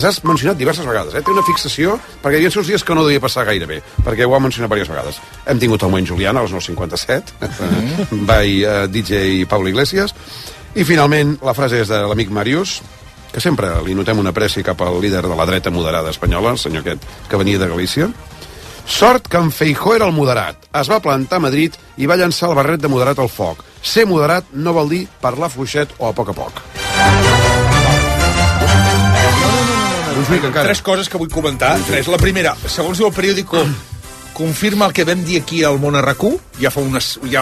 has mencionat diverses vegades, té una fixació, perquè hi havia els dies que no devia passar gaire bé, perquè ho ha mencionat diverses vegades. Hem tingut el moment Julián a les 9:57, by DJ Pablo Iglesias, i finalment la frase és de l'amic Màrius, que sempre li notem una apreci cap al líder de la dreta moderada espanyola, el senyor aquest que venia de Galícia. Sort que en Feijóo era el moderat. Es va plantar a Madrid i va llançar el barret de moderat al foc. Ser moderat no vol dir parlar fluixet o a poc a poc. Tres coses que vull comentar. La primera, segons el periòdico, confirma el que vam dir aquí al Món RQ, ja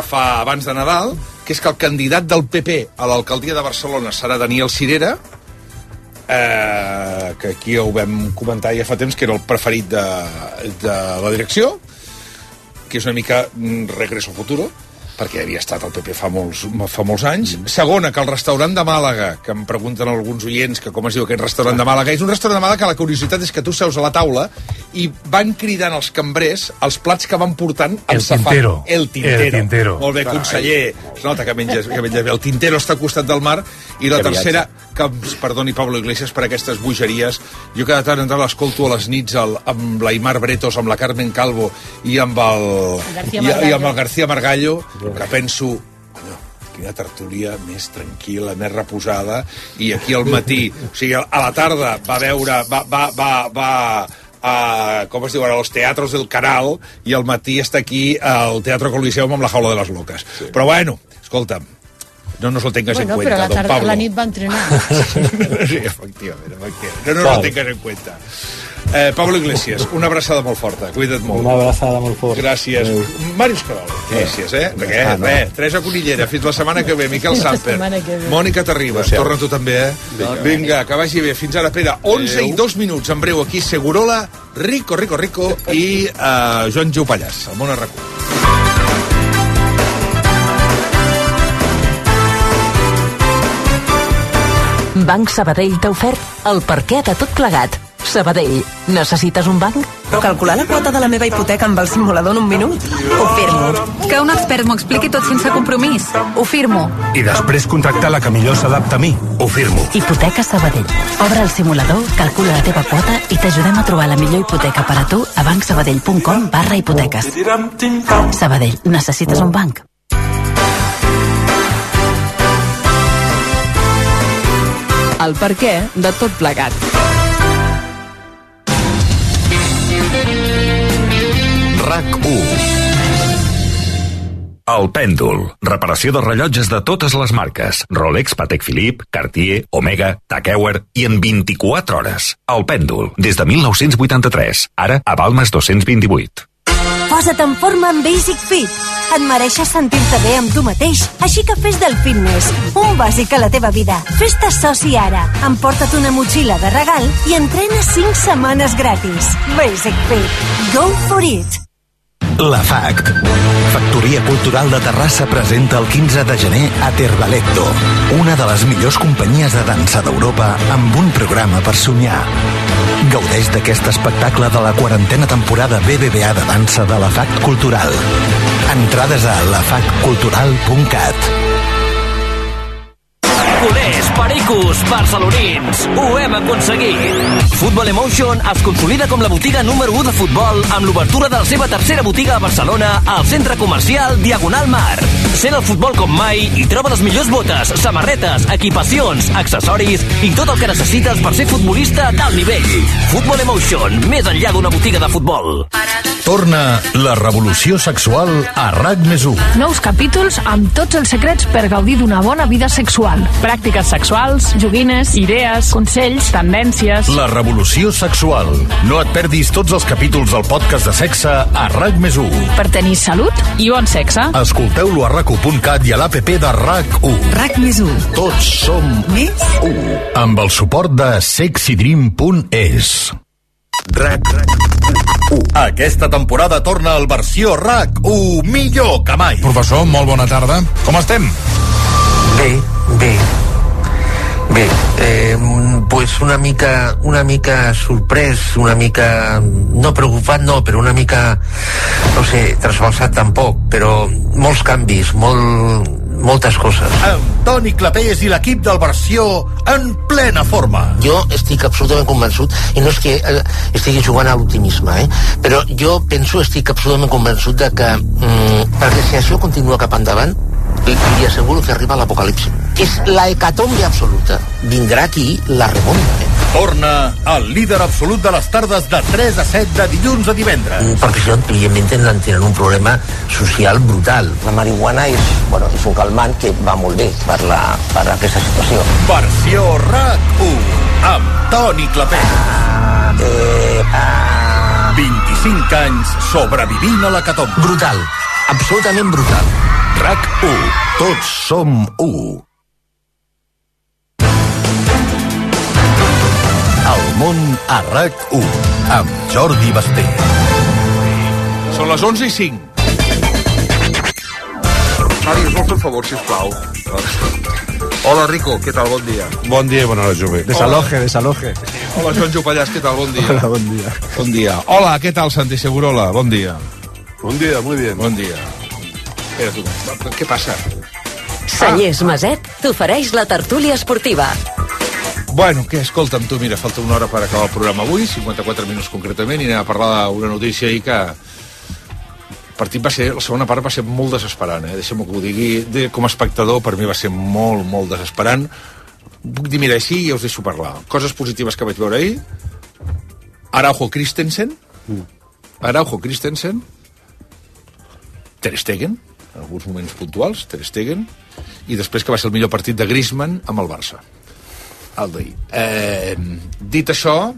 fa abans de Nadal, que és que el candidat del PP a l'alcaldia de Barcelona serà Daniel Sirera, que aquí ho vam comentar ja fa temps, que era el preferit de la direcció, que és una mica regreso futuro, perquè havia estat al PP fa molts anys. Segona, que el restaurant de Màlaga, que em pregunten alguns oients que com es diu aquest restaurant de Màlaga, és un restaurant de Màlaga que la curiositat és que tu seus a la taula i van cridant els cambrers els plats que van portant el safari. El Tintero. Molt bé, conseller. Es nota que menges bé. El Tintero està al costat del mar. I la tercera, que ens perdoni Pablo Iglesias per aquestes bogeries, jo cada tant en tant l'escolto a les nits amb l'Aimar Bretos, amb la Carmen Calvo i amb el García Margallo, que penso, quina tertúlia més tranquil·la, més reposada, i aquí al matí, o sigui, a la tarda va veure, com es diu ara, els teatros del Canal, i al matí està aquí al Teatro Coliseum amb la Jaula de les Loques. Sí. Però bueno, escolta'm, no nos lo tengas en cuenta, però don Pablo. A la nit va entrenar. Sí, efectivament. No nos lo tengas en cuenta. Pablo Iglesias, una abraçada molt forta, cuida't molt. Una abraçada molt forta. Gràcies. Màrius Carol, gràcies, Teresa Conillera, fins la setmana que ve. Miquel Samper, Mònica Terribas, torna tu també, Vinga, que vagi bé. Fins ara, Pere, 11 i 2 minuts, en breu aquí, Segurola, Rico, i Joan Joupallàs, al Món RQ. Banc Sabadell t'ha ofert el perquè de tot plegat. Sabadell, necessites un banc? Calcular la quota de la meva hipoteca amb el simulador en un minut? Ho firmo. Que un expert m'ho expliqui tot sense compromís? Ho firmo. I després contractar la que millor s'adapta a mi? Ho firmo. Hipoteca Sabadell. Obre el simulador, calcula la teva quota i t'ajudem a trobar la millor hipoteca per a tu a bancsabadell.com/hipoteques. Sabadell, necessites un banc? El perquè de tot plegat. RAC1. El Pèndol. Reparació de rellotges de totes les marques. Rolex, Patek Philippe, Cartier, Omega, Tag Heuer i en 24 hores. El Pèndol. Des de 1983. Ara a Balmes 228. Posa't en forma amb Basic Fit. Et mereixes sentir-te bé amb tu mateix, així que fes del fitness un bàsic a la teva vida. Fes-te soci ara. Emporta't una motxilla de regal i entrena 5 setmanes gratis. Basic Fit. Go for it. La FACT, Factoria Cultural de Terrassa, presenta el 15 de gener a Terbaletto, una de les millors companyies de dansa d'Europa amb un programa per somiar. Gaudeix d'aquest espectacle de la 40a temporada BBVA de dansa de la FACT Cultural. Entrades a lafactcultural.cat. Culers, pericos, barcelonins, ho hem aconseguit. Football Emotion es consolida com la botiga número 1 de futbol amb l'obertura de la seva tercera botiga a Barcelona al centre comercial Diagonal Mar. Sent el futbol com mai i troba les millors botes, samarretes, equipacions, accessoris i tot el que necessites per ser futbolista d'alt nivell. Football Emotion, més enllà d'una botiga de futbol. Torna la revolució sexual a RAC+1. Nous capítols amb tots els secrets per gaudir d'una bona vida sexual. Pràctiques sexuals, joguines, idees, consells, tendències... La revolució sexual. No et perdis tots els capítols del podcast de sexe a RAC+1. Per tenir salut i bon sexe. Escolteu-lo a RAC1.cat i a l'APP de RAC1. RAC+1. Tots som més 1. Amb el suport de sexydream.es. RAC1. Aquesta temporada torna al versió RAC1 millor que mai. Professor, molt bona tarda. Com estem? Bé, pues una mica sorprès, una mica no preocupat, no, però una mica, no sé, trasbalsat tampoc, però molts canvis, moltes coses. Amb Toni Clapés i l'equip del Versió en plena forma. Jo estic absolutament convençut, i no és que estigui jugant a l'optimisme, però jo estic absolutament convençut de que, perquè si això continua cap endavant, li asseguro que arriba l'apocalipsi. És la hecatombe absoluta. Vindrà aquí la remonta, Torna el líder absolut de les tardes de 3 a 7 de dilluns a divendres. Perquè això, evidentment, tenen un problema social brutal. La marihuana és un calmant que va molt bé per aquesta situació. Versió RAC1 amb Toni Clapés. 25 anys sobrevivint a l'hecatombe. Brutal, absolutament brutal. RAC1, tots som u. El món a RAC1 amb Jordi Basté. Són les 11:05. Mari, us vol fer un favor, sisplau? Hola, Rico, què tal? Bon dia. Bon dia i bona hora, jove. Desaloje. Hola, Joan Jopallàs, què tal? Bon dia. Hola, bon dia. Bon dia. Hola, què tal, Santi Segurola? Bon dia. Bon dia, muy bien. Bon dia. Espera, tu, què passa? Cellers Maset t'ofereix la tertúlia esportiva. Bueno, què? Escolta'm, tu, mira, falta una hora per acabar el programa avui, 54 minuts concretament, i anem a parlar d'una notícia ahir que el partit va ser, la segona part va ser molt desesperant, deixem-me que ho digui, com a espectador per mi va ser molt, molt desesperant. Puc dir, mira, així ja us deixo parlar. Coses positives que vaig veure ahir: Araujo Christensen, Ter Stegen, en alguns moments puntuals, Ter Stegen, i després que va ser el millor partit de Griezmann amb el Barça. El d'ahir. Dit això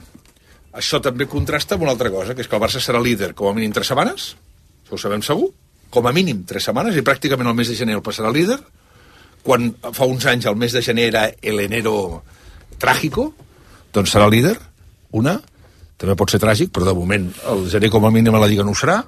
també contrasta amb una altra cosa, que és que el Barça serà líder com a mínim 3 setmanes, això ho sabem segur, com a mínim 3 setmanes, i pràcticament el mes de gener el passarà líder, quan fa uns anys el mes de gener era el enero trágico, doncs serà líder, també pot ser tràgic, però de moment el gener com a mínim a la Lliga no ho serà,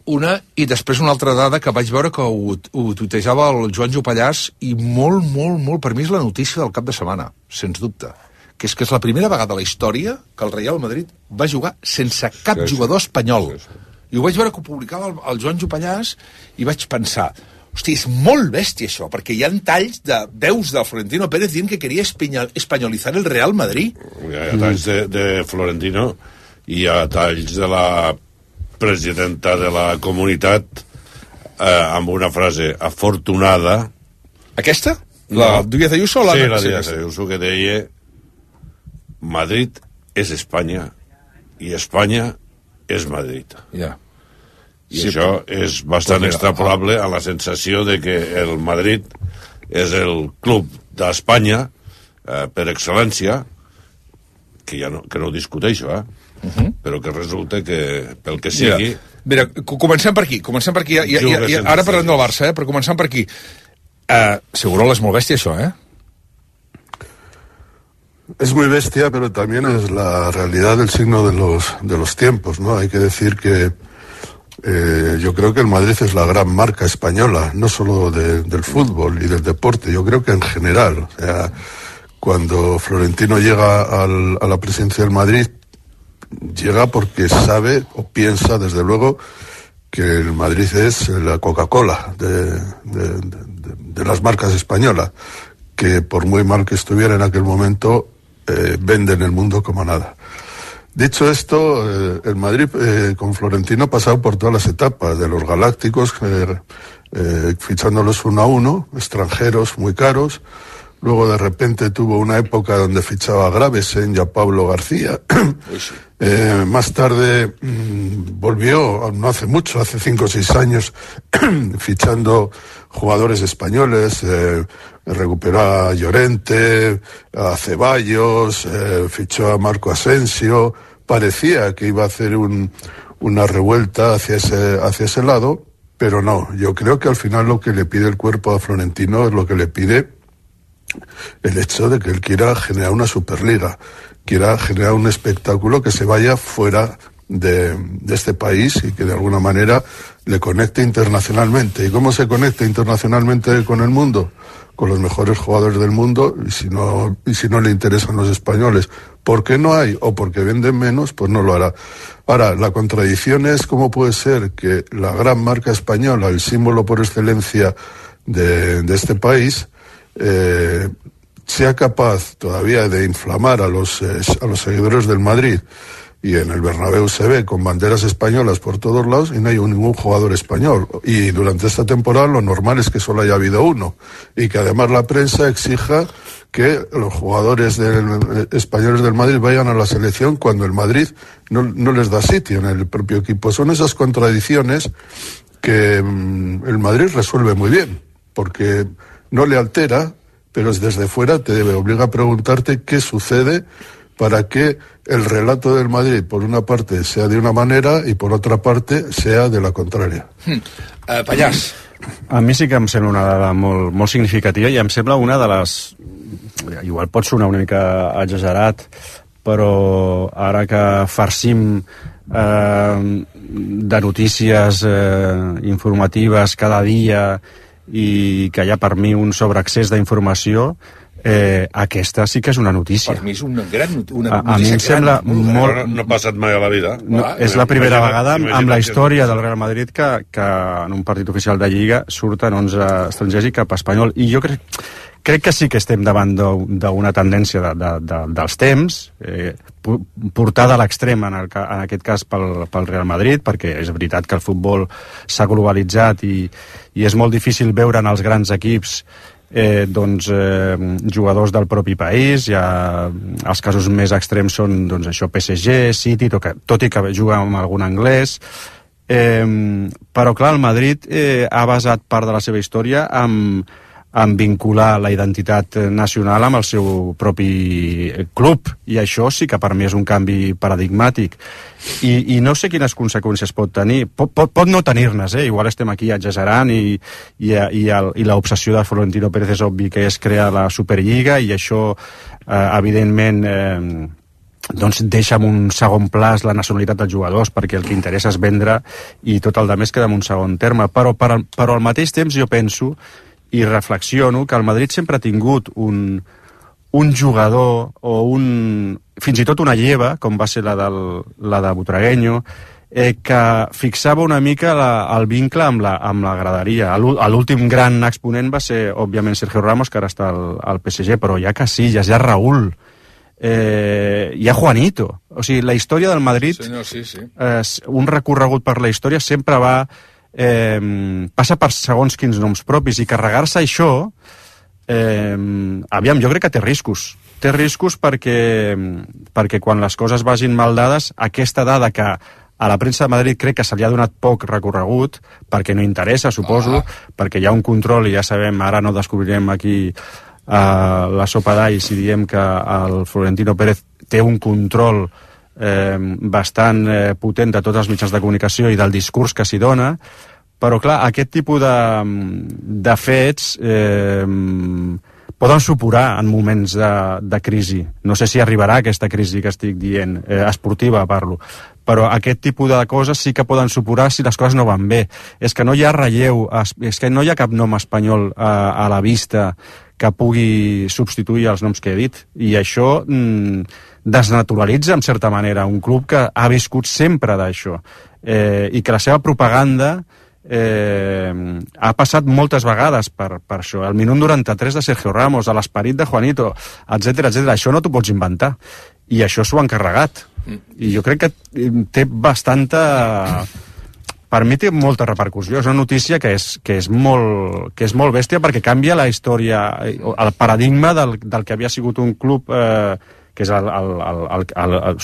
i després una altra dada que vaig veure que ho tuitejava el Joan Jopallàs, i molt, molt, molt, per mi és la notícia del cap de setmana, sens dubte, que és la primera vegada a la història que el Real Madrid va jugar sense cap jugador espanyol. I ho vaig veure que ho publicava el Joan Jopallàs i vaig pensar, hosti, és molt bèstia això, perquè hi ha talls de veus de Florentino Pérez dient que queria espanyolitzar el Real Madrid. Hi ha talls de Florentino i hi ha talls de la presidenta de la comunitat amb una frase afortunada. Aquesta? La Díaz Ayuso? Sí, la Díaz Ayuso, que deia Madrid és Espanya i Espanya és Madrid. Ja. I això és bastant extrapolable a la sensació de que el Madrid és el club d'Espanya per excel·lència, que no ho discuteixo, però que resulta que, pel que sigui... Mira, comencem per aquí. Ara parlem del Barça, però començant per aquí. Segurola es molt bèstia, això, Es muy bestia, pero también es la realidad del signo de los tiempos, ¿no? Hay que decir que yo creo que el Madrid es la gran marca española, no solo del fútbol y del deporte, yo creo que en general. O sea, cuando Florentino llega a la presidencia del Madrid, llega porque sabe o piensa, desde luego, que el Madrid es la Coca-Cola de las marcas españolas, que por muy mal que estuviera en aquel momento, vende en el mundo como nada. Dicho esto, el Madrid con Florentino ha pasado por todas las etapas, de los galácticos, fichándolos 1 a 1, extranjeros muy caros. Luego de repente tuvo una época donde fichaba a Gravesen y a Pablo García. Más tarde volvió, no hace mucho, hace 5 o 6 años, fichando jugadores españoles, recuperó a Llorente, a Ceballos, fichó a Marco Asensio. Parecía que iba a hacer una revuelta hacia ese lado, pero no. Yo creo que al final lo que le pide el cuerpo a Florentino es lo que le pide el hecho de que él quiera generar una Superliga, quiera generar un espectáculo que se vaya fuera de este país y que de alguna manera le conecte internacionalmente. ¿Y cómo se conecta internacionalmente con el mundo? Con los mejores jugadores del mundo, y si no le interesan los españoles, porque no hay o porque venden menos, pues no lo hará. Ahora, la contradicción es cómo puede ser que la gran marca española, el símbolo por excelencia de este país sea capaz todavía de inflamar a los seguidores del Madrid, y en el Bernabéu se ve con banderas españolas por todos lados y no hay ningún jugador español, y durante esta temporada lo normal es que solo haya habido uno, y que además la prensa exija que los jugadores españoles del Madrid vayan a la selección cuando el Madrid no les da sitio en el propio equipo. Son esas contradicciones que el Madrid resuelve muy bien, porque no le altera, pero desde fuera te obliga a preguntarte qué sucede para que el relato del Madrid, por una parte, sea de una manera i por otra parte, sea de la contraria. Pallàs. A mi sí que em sembla una dada molt significativa, i em sembla una de les... Igual pot sonar una mica exagerat, però ara que farcim de notícies informatives cada dia i que hi ha per mi un sobreaccés d'informació, aquesta sí que és una notícia. Per mi és una notícia. A mi em sembla molt... No ha passat mai a la vida. És la primera vegada amb la història del Real Madrid que en un partit oficial de Lliga surten 11 estrangers i cap espanyol. I jo crec que sí que estem davant d'una tendència dels temps, portada a l'extrem en aquest cas pel Real Madrid, perquè és veritat que el futbol s'ha globalitzat i és molt difícil veure en els grans equips jugadors del propi país. Els casos més extrems són això, PSG, City, tot i que juga amb algun anglès, però clar, el Madrid ha basat part de la seva història en vincular la identitat nacional amb el seu propi club, i això sí que per mi és un canvi paradigmàtic, i no sé quines conseqüències pot tenir. Pot no tenir-nes, igual estem aquí exagerant i l'obsessió de Florentino Pérez és obvi que és crear la Superliga, i això evidentment deixa en un segon pla la nacionalitat dels jugadors, perquè el que interessa és vendre i tot el demés queda en un segon terme. Però al mateix temps jo penso i reflexiono que el Madrid sempre ha tingut un jugador o fins i tot una lleva, com va ser la de Butragueño, que fixava una mica el vincle amb la graderia. L'últim gran exponent va ser, òbviament, Sergio Ramos, que ara està al PSG, però hi ha Casillas, hi ha Raúl, hi ha Juanito. O sigui, la història del Madrid, un recorregut per la història sempre passa per segons quins noms propis, i carregar-se això aviam, jo crec que té riscos perquè quan les coses vagin mal dades, aquesta dada que a la premsa de Madrid crec que se li ha donat poc recorregut, perquè no interessa, suposo, perquè hi ha un control, i ja sabem, ara no descobrirem aquí la sopa d'all si diem que el Florentino Pérez té un control bastant potent de tots els mitjans de comunicació i del discurs que s'hi dona, però clar, aquest tipus de fets poden supurar en moments de crisi. No sé si arribarà aquesta crisi que estic dient, esportiva parlo, però aquest tipus de coses sí que poden supurar si les coses no van bé. És que no hi ha relleu, és que no hi ha cap nom espanyol a la vista que pugui substituir els noms que he dit, i això desnaturalitza en certa manera un club que ha viscut sempre d'això, i que la seva propaganda ha passat moltes vegades per això. El minut 93 de Sergio Ramos, a l'esperit de Juanito, etc. Això no t'ho pots inventar, i això s'ho han carregat, i jo crec que té bastanta... Per mi té molta repercussió. És una notícia que és molt bèstia, perquè canvia la història, el paradigma del que havia sigut un club que és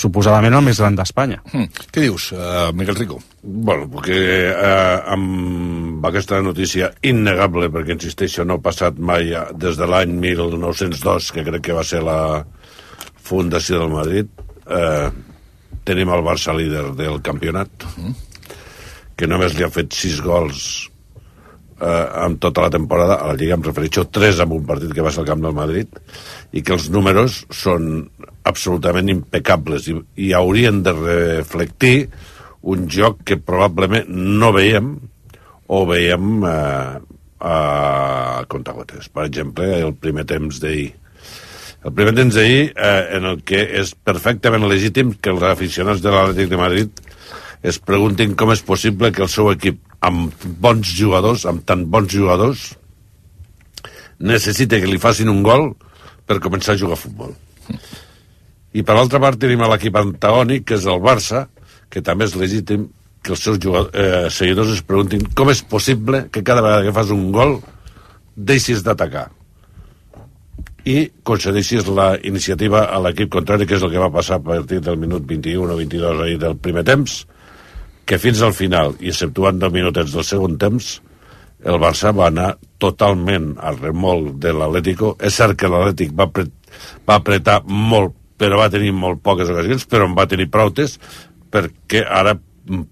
suposadament el més gran d'Espanya. Què dius, Miguel Rico? Bueno, perquè amb aquesta notícia innegable, perquè insisteixo, no ha passat mai des de l'any 1902, que crec que va ser la fundació del Madrid, tenim el Barça líder del campionat, que només li ha fet 6 gols en tota la temporada, a la Lliga em refereixo 3 en un partit que va ser al camp del Madrid, i que els números són absolutament impecables i haurien de reflectir un joc que probablement no veiem o veiem a contagotes. Per exemple, el primer temps d'ahir. El primer temps d'ahir en el que és perfectament legítim que els aficionats de l'Atlètic de Madrid es preguntin com és possible que el seu equip, amb bons jugadors, amb tan bons jugadors, necessita que li facin un gol per començar a jugar a futbol. I per l'altra part tenim l'equip antagònic, que és el Barça, que també és legítim que els seus seguidors es preguntin com és possible que cada vegada que fas un gol deixis d'atacar i concedeixis la iniciativa a l'equip contrari, que és el que va passar a partir del minut 21 o 22 ahir del primer temps, que fins al final, i exceptuant 2 minutets del segon temps, el Barça va anar totalment al remolc de l'Atlético. És cert que l'Atlètic va apretar molt, però va tenir molt poques ocasions, però en va tenir proutes, perquè ara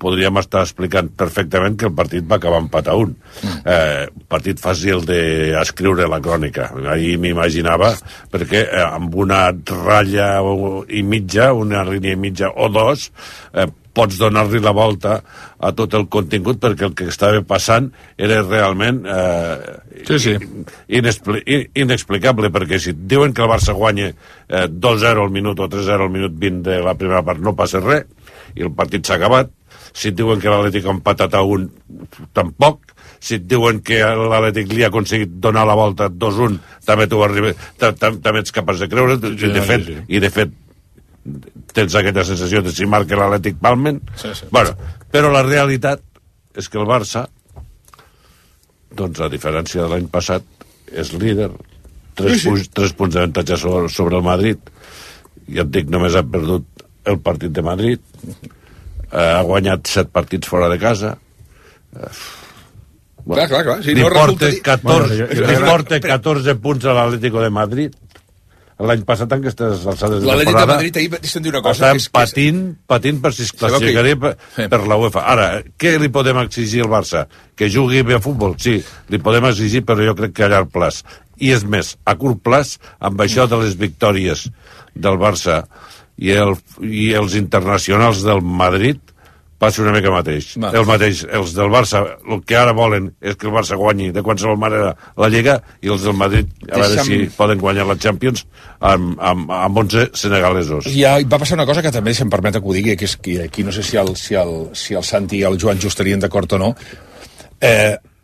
podríem estar explicant perfectament que el partit va acabar empat a 1. Un partit fàcil d'escriure la crònica. Ahir m'imaginava, perquè amb una ratlla i mitja, una línia i mitja o dos, pots donar-li la volta a tot el contingut, perquè el que estava passant era realment inexplicable, perquè si diuen que el Barça guanya 2-0 al minut o 3-0 al minut 20 de la primera part, no passa res, i el partit s'ha acabat. Si et diuen que l'Atlètic ha empatat a 1, tampoc. Si et diuen que l'Atlètic li ha aconseguit donar la volta 2-1, també ets capaç de creure, i de fet tens aquesta sensació de si marca l'Atlètic palmen. Bueno, però la realitat és que el Barça, doncs a diferència de l'any passat, és líder, 3 punts d'avantatge sobre el Madrid. Ja et dic, només ha perdut el partit de Madrid, ha guanyat 7 partits fora de casa. Clar. Si li porta 14 punts a l'Atlético de Madrid. L'any passat, en aquestes alçades de temporada, l'Atlético de Madrid ahir deixen dir una cosa, patint per si es classificaria per la UEFA. Ara, què li podem exigir al Barça? Que jugui bé a futbol? Sí, li podem exigir, però jo crec que a llarg plaç. I és més, a curt plaç, amb això de les victòries del Barça i els internacionals del Madrid, passa una mica mateix. El mateix, els del Barça, el que ara volen és que el Barça guanyi de qualsevol manera la Lliga, i els del Madrid a veure si poden guanyar la Champions amb 11 senegalesos. Ja va passar una cosa que també, si em permet que ho digui, que és que aquí no sé si el Santi i el Joan just estarien d'acord o no.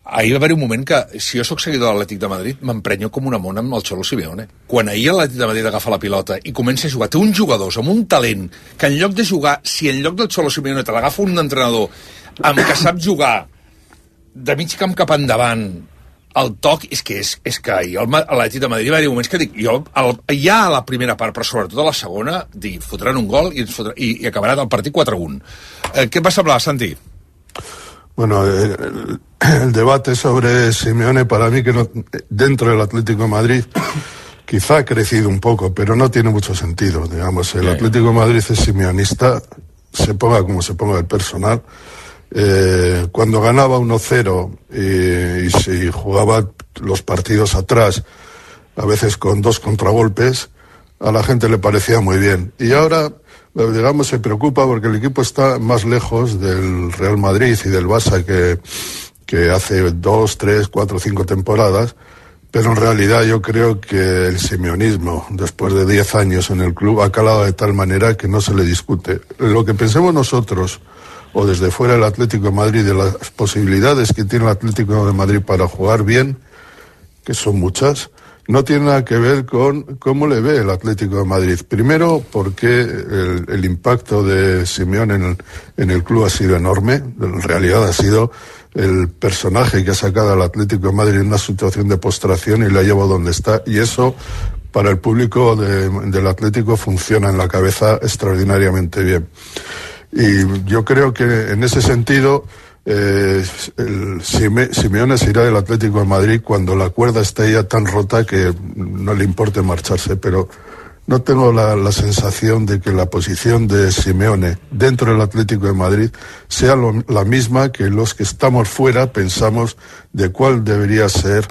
Ahir va haver un moment que, si jo sóc seguidor de l'Atlètic de Madrid, m'emprenyo com una mona amb el Cholo Simeone. Quan ahir l'Atlètic de Madrid agafa la pilota i comença a jugar, té uns jugadors amb un talent que en lloc de jugar, si en lloc del Cholo Simeone te l'agafa un entrenador amb que sap jugar de mig camp cap endavant, el toc, és que ahir l'Atlètic de Madrid va haver moments que dic, jo ja a la primera part, però sobretot a la segona, dic, fotran un gol i acabarà el partit 4-1. Què et va semblar, Santi? Bueno, el debate sobre Simeone, para mí, que no, dentro del Atlético de Madrid, quizá ha crecido un poco, pero no tiene mucho sentido. Digamos, el Atlético de Madrid es simeonista, se ponga como se ponga el personal. Cuando ganaba 1-0 y si jugaba los partidos atrás, a veces con 2 contragolpes, a la gente le parecía muy bien. Y ahora, digamos, se preocupa porque el equipo está más lejos del Real Madrid y del Barça que hace 2, 3, 4, 5 temporadas, pero en realidad yo creo que el simeonismo, después de 10 años en el club, ha calado de tal manera que no se le discute. Lo que pensemos nosotros, o desde fuera del Atlético de Madrid, de las posibilidades que tiene el Atlético de Madrid para jugar bien, que son muchas, no tiene nada que ver con cómo le ve el Atlético de Madrid. Primero, porque el impacto de Simeone en el club ha sido enorme. En realidad ha sido el personaje que ha sacado al Atlético de Madrid en una situación de postración y lo ha llevado donde está. Y eso, para el público del Atlético, funciona en la cabeza extraordinariamente bien. Y yo creo que en ese sentido, Simeone se irá del Atlético de Madrid cuando la cuerda esté ya tan rota que no le importe marcharse, pero no tengo la sensación de que la posición de Simeone dentro del Atlético de Madrid sea la misma que los que estamos fuera pensamos de cuál debería ser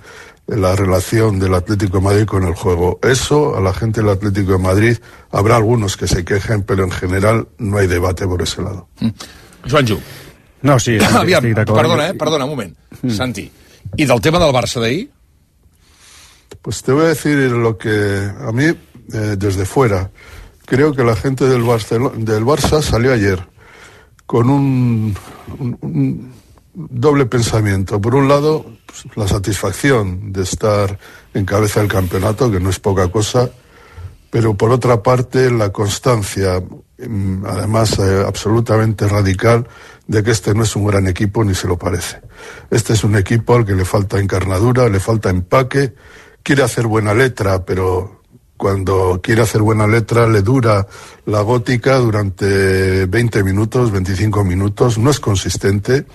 la relación del Atlético de Madrid con el juego. Eso, a la gente del Atlético de Madrid, habrá algunos que se quejen, pero en general no hay debate por ese lado. Joanjo. No, sí, aviam, perdona, un moment. Santi, ¿y del tema del Barça de ahí? Pues te voy a decir lo que a mí, desde fuera, creo que la gente del Barça salió ayer con doble pensamiento. Por un lado, pues, la satisfacción de estar en cabeza del campeonato, que no es poca cosa, pero por otra parte la constancia, además absolutamente radical, de que este no es un gran equipo ni se lo parece. Este es un equipo al que le falta encarnadura, le falta empaque, quiere hacer buena letra, pero cuando quiere hacer buena letra le dura la gótica durante 20 minutos, 25 minutos, no es consistente,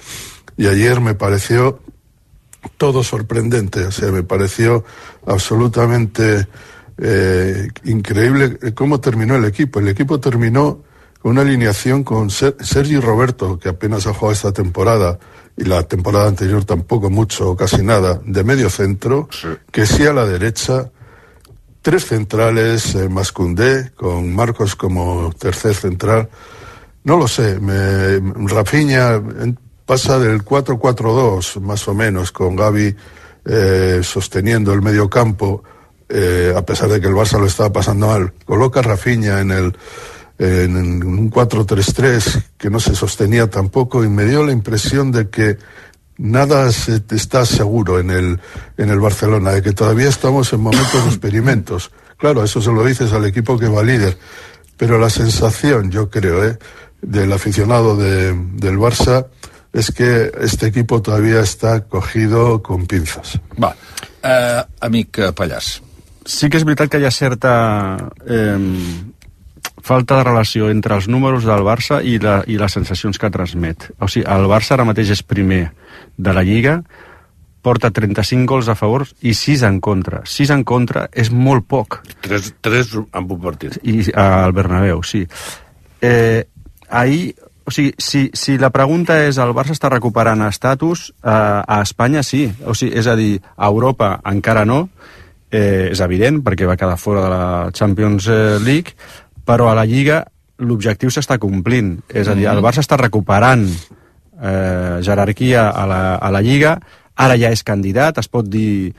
y ayer me pareció todo sorprendente, o sea, me pareció absolutamente increíble cómo terminó el equipo. El equipo terminó con una alineación con Sergi Roberto, que apenas ha jugado esta temporada, y la temporada anterior tampoco mucho o casi nada, de medio centro, que sí a la derecha, 3 centrales, más Koundé, con Marcos como tercer central. No lo sé, Rafinha pasa del 4-4-2 más o menos, con Gavi sosteniendo el medio campo, a pesar de que el Barça lo estaba pasando mal. Coloca a Rafinha en un 4-3-3 que no se sostenía tampoco, y me dio la impresión de que nada está seguro en el Barcelona, de que todavía estamos en momentos de experimentos. Claro, eso se lo dices al equipo que va líder, pero la sensación, yo creo, del aficionado del Barça es que este equipo todavía està cogido con pinzas. Va, amic Pallàs. Sí que és veritat que hi ha certa falta de relació entre els números del Barça i les sensacions que transmet. O sigui, el Barça ara mateix és primer de la Lliga, porta 35 gols a favor i 6 en contra. 6 en contra és molt poc. 3 en un partit. I al Bernabéu, sí. Ahir, o sigui, si la pregunta és el Barça està recuperant estatus, a Espanya sí. O sigui, és a dir, a Europa encara no, és evident, perquè va quedar fora de la Champions League, però a la Lliga l'objectiu s'està complint. És a dir, el Barça està recuperant jerarquia a la Lliga, ara ja és candidat, es pot dir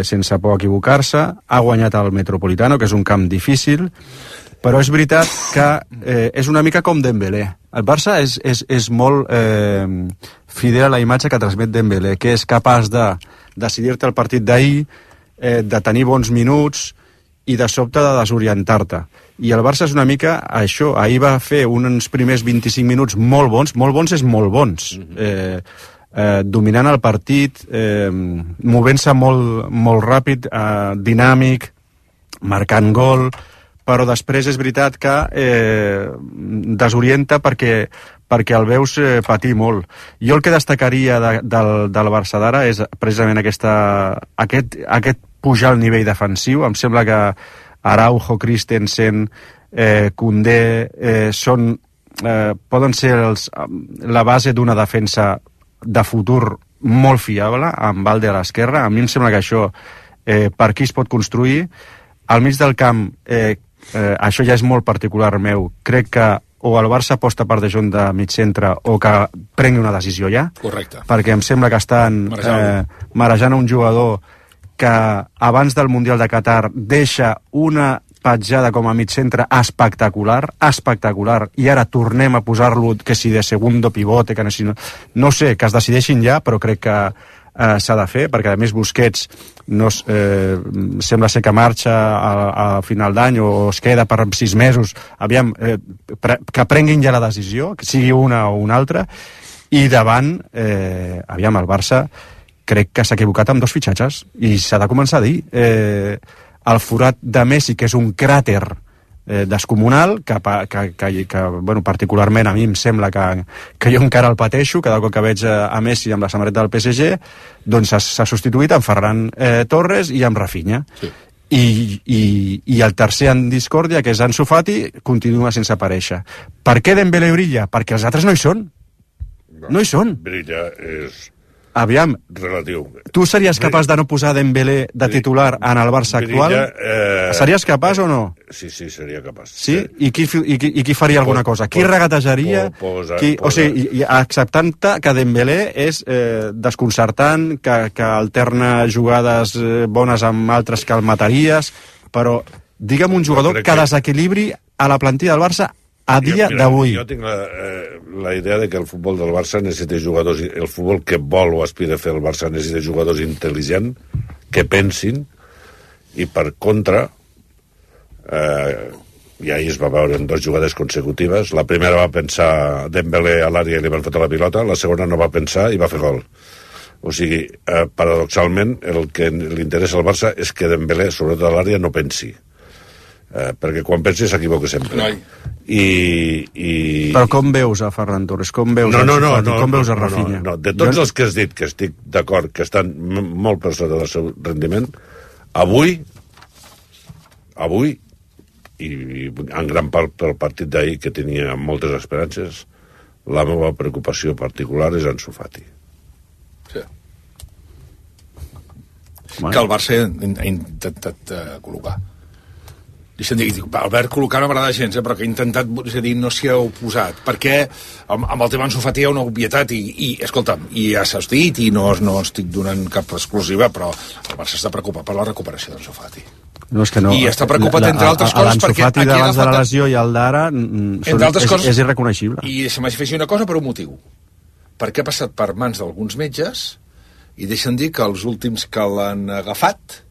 sense por a equivocar-se, ha guanyat el Metropolitano, que és un camp difícil, però és veritat que és una mica com Dembélé. El Barça és molt fidel a la imatge que transmet Dembélé, que és capaç de decidir-te el partit d'ahir, de tenir bons minuts i de sobte de desorientar-te. I el Barça és una mica això. Ahir va fer uns primers 25 minuts molt bons és molt bons. Dominant el partit, movent-se molt ràpid, dinàmic, marcant gol, però després és veritat que desorienta perquè el veus patir molt. Jo el que destacaria del Barça d'ara és precisament aquest pujar al nivell defensiu. Em sembla que Araujo, Christensen, Koundé poden ser la base d'una defensa de futur molt fiable, amb Valde a l'esquerra. A mi em sembla que això per aquí es pot construir. Al mig del camp, això ja és molt particular meu, crec que o el Barça aposta per De Jong de mig centre o que prengui una decisió ja. Correcte. Perquè em sembla que estan marejant un jugador que abans del Mundial de Qatar deixa una petjada com a mig centre espectacular, i ara tornem a posar-lo, que si de segundo pivote, que no sé, que es decideixin ja, però crec que s'ha de fer, perquè a més Busquets sembla ser que marxa a final d'any o es queda per 6 mesos. Aviam, que prenguin ja la decisió, que sigui una o una altra, i davant, aviam, el Barça crec que s'ha equivocat amb 2 fitxatges i s'ha de començar a dir. El forat de Messi, que és un cràter descomunal, que bueno, particularment a mi em sembla que jo encara el pateixo cada cop que veig a Messi amb la samarreta del PSG, doncs s'ha substituït amb Ferran Torres i amb Rafinha. Sí. I el tercer en discòrdia, que és Ansu Fati, continua sense aparèixer. Per què Dembélé brilla? Perquè els altres no hi són. No hi són. Brilla és... Aviam, relatiu. Tu series capaç de no posar Dembélé de titular en el Barça actual? Series capaç o no? Sí, seria capaç. Sí? I qui faria alguna cosa? Qui regatejaria? O sigui, acceptant-te que Dembélé és desconcertant, que alterna jugades bones amb altres que el mataries, però digue'm un jugador que desequilibri a la plantilla del Barça a dia d'avui. Jo tinc la idea de que el futbol del Barça necessita jugadors, el futbol que vol o aspira a fer el Barça necessita jugadors intel·ligents, que pensin, i per contra, i ahir es va veure en 2 jugades consecutives. La primera va pensar Dembélé a l'àrea i li van fotre la pilota, la segona no va pensar i va fer gol. O sigui, paradoxalment, el que li interessa al Barça és que Dembélé, sobretot a l'àrea, no pensi. Perquè quan pensi s'equivoca sempre. Però com veus a Ferran Torres? Com veus com veus a Rafinha? No. De tots els que has dit, que estic d'acord, que estan molt per sota del seu rendiment, avui, i en gran part pel partit d'ahir, que tenia moltes esperances, la meva preocupació particular és Ansu Fati. Sí. Que el Barça ha intentat col·locar. Deixa'm dir, Albert col·locar no m'agrada gens, però que ha intentat, és a dir, no s'hi ha oposat, perquè amb el tema Ansu Fati hi ha una obvietat i escolta'm, i ja s'ha dit, i no estic donant cap exclusiva, però el Barça està preocupat per la recuperació d'Ansu Fati. No, és que no. I està preocupat, entre altres coses, perquè l'Ansu Fati d'abans de la lesió i el d'ara és irreconeixible. I se m'afegeix una cosa per un motiu. Perquè ha passat per mans d'alguns metges i deixa'm dir que els últims que l'han agafat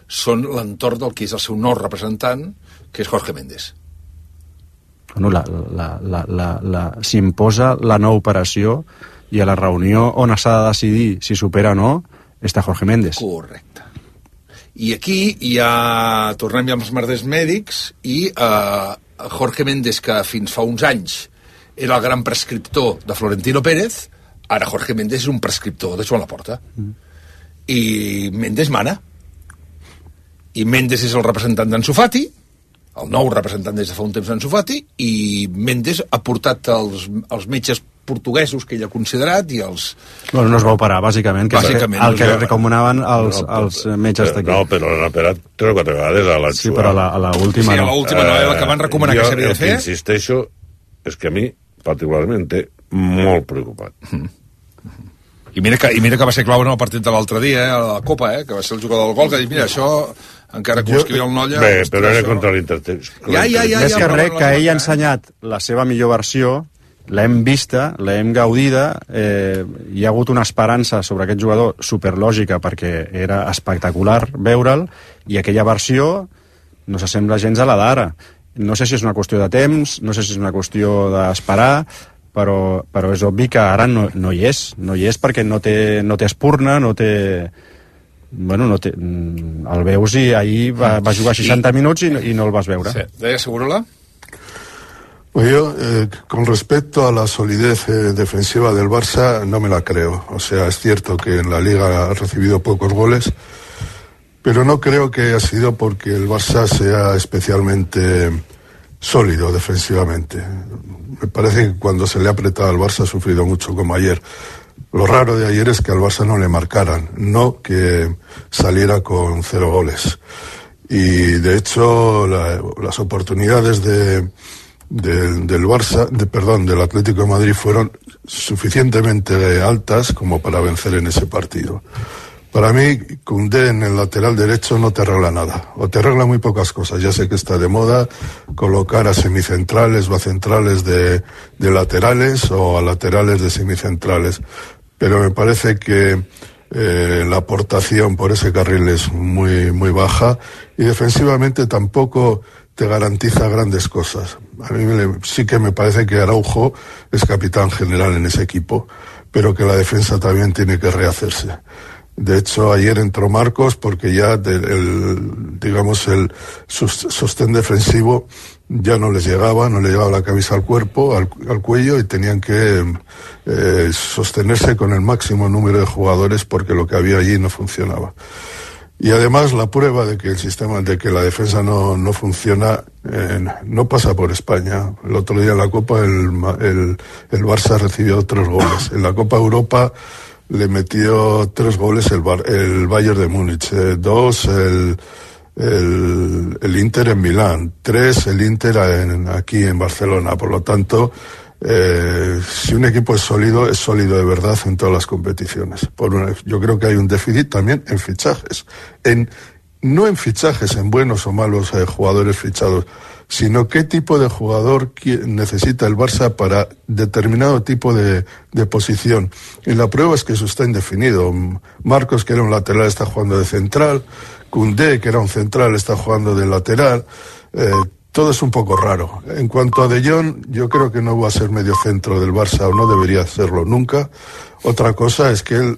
són l'entorn del que és el seu nou representant, que és Jorge Méndez. Bueno, s'imposa la nova operació i a la reunió on s'ha de decidir si supera o no està Jorge Méndez. Correcte. I aquí tornem ja als merders mèdics i Jorge Méndez, que fins fa uns anys era el gran prescriptor de Florentino Pérez, ara Jorge Méndez és un prescriptor de Joan Laporta. I Méndez mana. I Méndez és el representant d'Ansu Fati, el nou representant des de fa un temps d'Ansu Fati, i Méndez ha portat els metges portuguesos que ell ha considerat i els... Bueno, no es va operar, bàsicament, el que recomanaven els metges d'aquí. No, però l'han operat 3 o 4 vegades a l'Ansu. Sí, però a l'última no. Sí, a l'última no, la que van recomanar que s'havia de fer. Jo insisteixo, és que a mi, particularment, té molt preocupat. I mira que va ser clau en el partit de l'altre dia, a la Copa, que va ser el jugador del gol, que ha dit, mira, això, encara que ho escrivia el Nolla... Bé, però era contra l'Inter. Més que res, que ell ha ensenyat la seva millor versió, l'hem vista, l'hem gaudida, hi ha hagut una esperança sobre aquest jugador superlògica perquè era espectacular veure'l, i aquella versió no s'assembla gens a la d'ara. No sé si és una qüestió de temps, no sé si és una qüestió d'esperar, però és obvi que ara no hi és perquè no té espurna, no té... Bueno, el veus i ahir va jugar 60 minuts i no el vas veure. Sí. Deia Segurola? Pues yo, con respecto a la solidez defensiva del Barça, no me la creo. O sea, es cierto que en la Liga ha recibido pocos goles, pero no creo que haya sido porque el Barça sea especialmente sólido defensivamente. Me parece que cuando se le ha apretado al Barça ha sufrido mucho, como ayer. Lo raro de ayer es que al Barça no le marcaran, no que saliera con 0 goles. Y de hecho las oportunidades del Barça, del Atlético de Madrid fueron suficientemente altas como para vencer en ese partido. Para mí, Koundé en el lateral derecho no te arregla nada, o te arregla muy pocas cosas. Ya sé que está de moda colocar a semicentrales o a centrales de laterales o a laterales de semicentrales, pero me parece que la aportación por ese carril es muy, muy baja y defensivamente tampoco te garantiza grandes cosas. A mí sí que me parece que Araujo es capitán general en ese equipo, pero que la defensa también tiene que rehacerse. De hecho, ayer entró Marcos porque ya el sostén defensivo ya no les llegaba la cabeza al cuerpo, al cuello, y tenían que sostenerse con el máximo número de jugadores porque lo que había allí no funcionaba. Y además la prueba de que el sistema, de que la defensa no funciona, no pasa por España. El otro día en la Copa el Barça recibió 3 goles. En la Copa Europa le metió 3 goles el Bayern de Múnich, 2 el Inter en Milán, 3 el Inter aquí en Barcelona. Por lo tanto, si un equipo es sólido de verdad en todas las competiciones. Yo creo que hay un déficit también en fichajes, no en fichajes, en buenos o malos jugadores fichados, sino qué tipo de jugador necesita el Barça para determinado tipo de posición. Y la prueba es que eso está indefinido. Marcos, que era un lateral, está jugando de central. Koundé, que era un central, está jugando de lateral. Todo es un poco raro. En cuanto a De Jong, yo creo que no va a ser medio centro del Barça, o no debería serlo nunca. Otra cosa es que él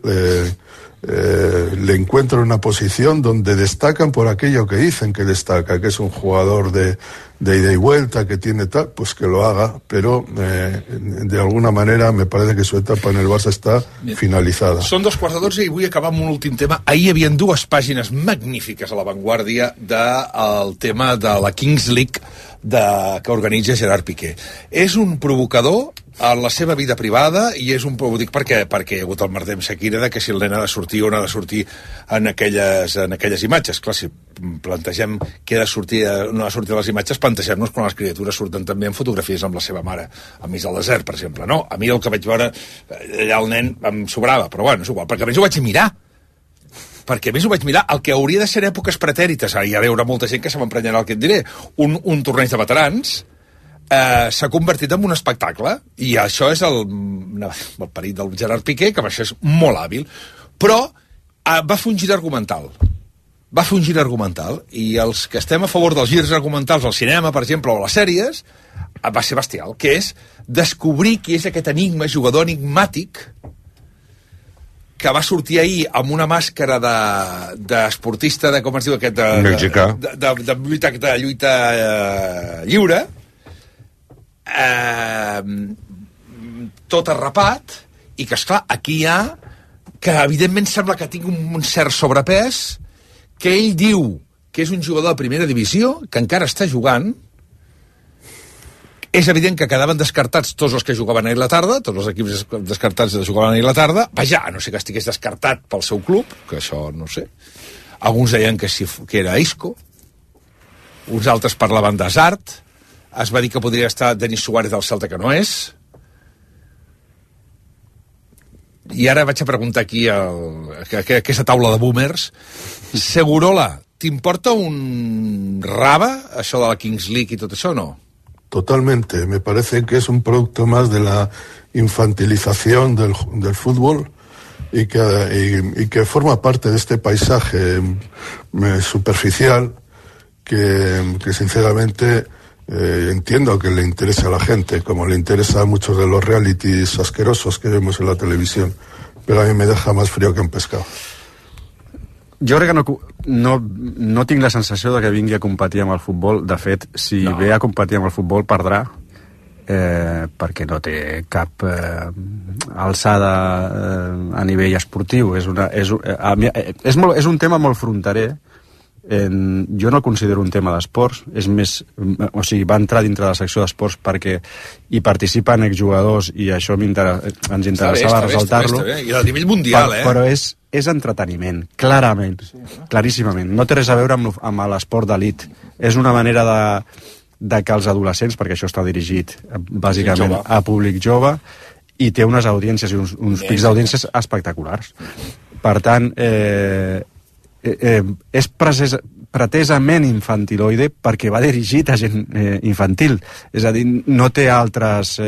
le encuentra una posición donde destacan por aquello que dicen que destaca, que es un jugador de ida y vuelta, que tiene tal, pues que lo haga, pero de alguna manera me parece que su etapa en el Barça està finalitzada. Són 2:15 i vull acabar amb un últim tema. Ahir hi havia 2 pàgines magnífiques a La Vanguardia del tema de la Kings League que organitza Gerard Piqué. És un provocador en la seva vida privada i és un... Ho dic perquè hi ha hagut el merder amb Shakira de que si el nen ha de sortir o no ha de sortir en aquelles imatges. Clar, si plantegem que no ha de sortir a les imatges, plantegem-nos quan les criatures surten també en fotografies amb la seva mare a mig del desert, per exemple. No, a mi el que vaig veure allà el nen em sobrava, però bueno, és igual, perquè a més ho vaig mirar. El que hauria de ser èpoques pretèrites, hi ha veure molta gent que se m'emprenyarà el que et diré, un torneig de veterans s'ha convertit en un espectacle, i això és el perit del Gerard Piqué, que amb això és molt hàbil, però va fer un gir argumental, i els que estem a favor dels girs argumentals al cinema, per exemple, o a les sèries, va ser bestial, que és descobrir qui és aquest jugador enigmàtic que va sortir ahir amb una màscara d'esportista com es diu aquest? Mexicà. De lluita lliure, tot arrapat, i que, esclar, aquí hi ha que evidentment sembla que tingui un cert sobrepès, que ell diu que és un jugador de primera divisió, que encara està jugant. És evident que quedaven descartats tots els que jugaven ahir a la tarda, tots els equips descartats jugaven ahir a la tarda, vaja, a no ser que estigués descartat pel seu club, que això no sé. Alguns deien que era Isco, uns altres parlaven d'Hazard, es va dir que podria estar Denis Suárez del Celta, que no és. I ara vaig a preguntar aquí a aquesta taula de boomers, Segurola, t'importa un raba això de la Kings League i tot això o no? Totalmente, me parece que es un producto más de la infantilización del fútbol y que forma parte de este paisaje superficial que sinceramente entiendo que le interesa a la gente, como le interesa a muchos de los realities asquerosos que vemos en la televisión, pero a mí me deja más frío que un pescado. Jo crec que no tinc la sensació de que vingui a competir amb el futbol. De fet, si ve a competir amb el futbol, perdrà, perquè no té cap alçada a nivell esportiu. És un tema molt fronterer. Jo no el considero un tema d'esports, és més, o sigui, va entrar dintre de la secció d'esports perquè hi participen exjugadors i això ens interessava resaltar-lo. I a nivell mundial, però és entreteniment, clarament, claríssimament. No té res a veure amb l'esport d'elit. És una manera de que els adolescents, perquè això està dirigit bàsicament a públic jove, i té unes audiències i uns pics d'audiències espectaculars. Per tant, és pretesament infantiloide perquè va dirigit a gent infantil, és a dir, no té altres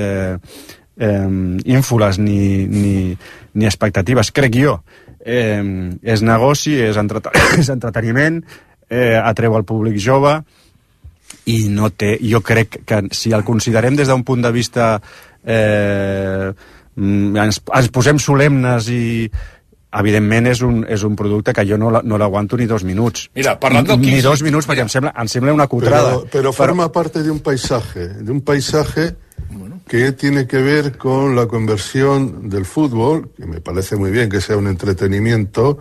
ínfoles ni expectatives, crec jo. És negoci, és entreteniment, atreu al públic jove i no té, jo crec que si el considerem des d'un punt de vista ens posem solemnes i evidentment és un producte que jo no l'aguanto ni 2 minuts. Mira, parlant del ni 2 minuts, perquè em sembla una cutrada. Pero forma parte de un paisaje que tiene que ver con la conversión del fútbol, que me parece muy bien que sea un entretenimiento,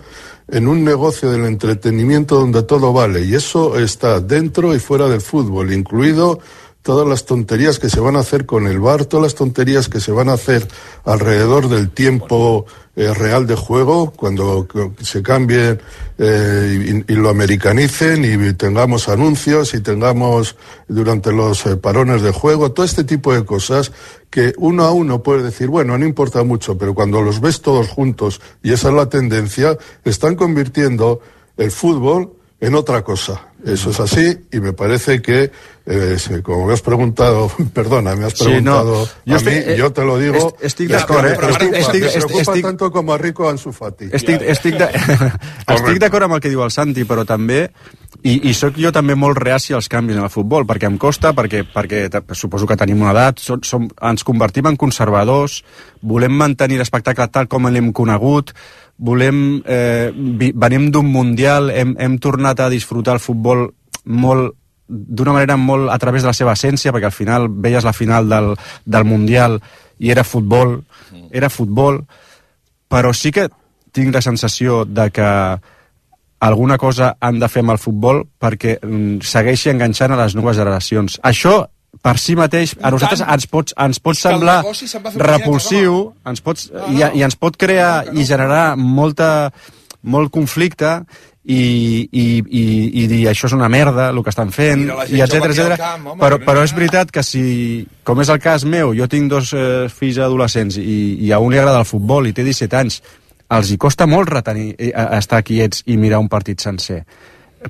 en un negocio del entretenimiento donde todo vale, y eso está dentro y fuera del fútbol, incluido todas las tonterías que se van a hacer con el VAR, todas las tonterías que se van a hacer alrededor del tiempo real de juego, cuando se cambie y lo americanicen y tengamos anuncios y tengamos durante los parones de juego, todo este tipo de cosas que uno a uno puede decir, bueno, no importa mucho, pero cuando los ves todos juntos, y esa es la tendencia, están convirtiendo el fútbol en otra cosa. Eso es así, y me parece que como me has preguntado, perdona, me has preguntado yo te lo digo. Estic d'acord, me preocupa tanto com a Rico Ansu Fati. Estic d'acord amb el que diu el Santi, però també, i sóc jo també molt reaci als canvis en el futbol, perquè em costa, perquè suposo que tenim una edat, ens convertim en conservadors, volem mantenir l'espectacle tal com l'hem conegut, venim d'un mundial, hem tornat a disfrutar el futbol d'una manera molt a través de la seva essència, perquè al final veies la final del Mundial i era futbol, però sí que tinc la sensació de que alguna cosa han de fer amb el futbol perquè segueixi enganxant a les noves generacions. Això, per si mateix, a nosaltres ens pot semblar repulsiu, i ens pot crear i generar molt conflicte, i dir això és una merda el que estan fent, i etcètera, però és veritat que si, com és el cas meu, jo tinc 2 fills adolescents i a un li agrada el futbol i té 17 anys, els hi costa molt estar quiets i mirar un partit sencer,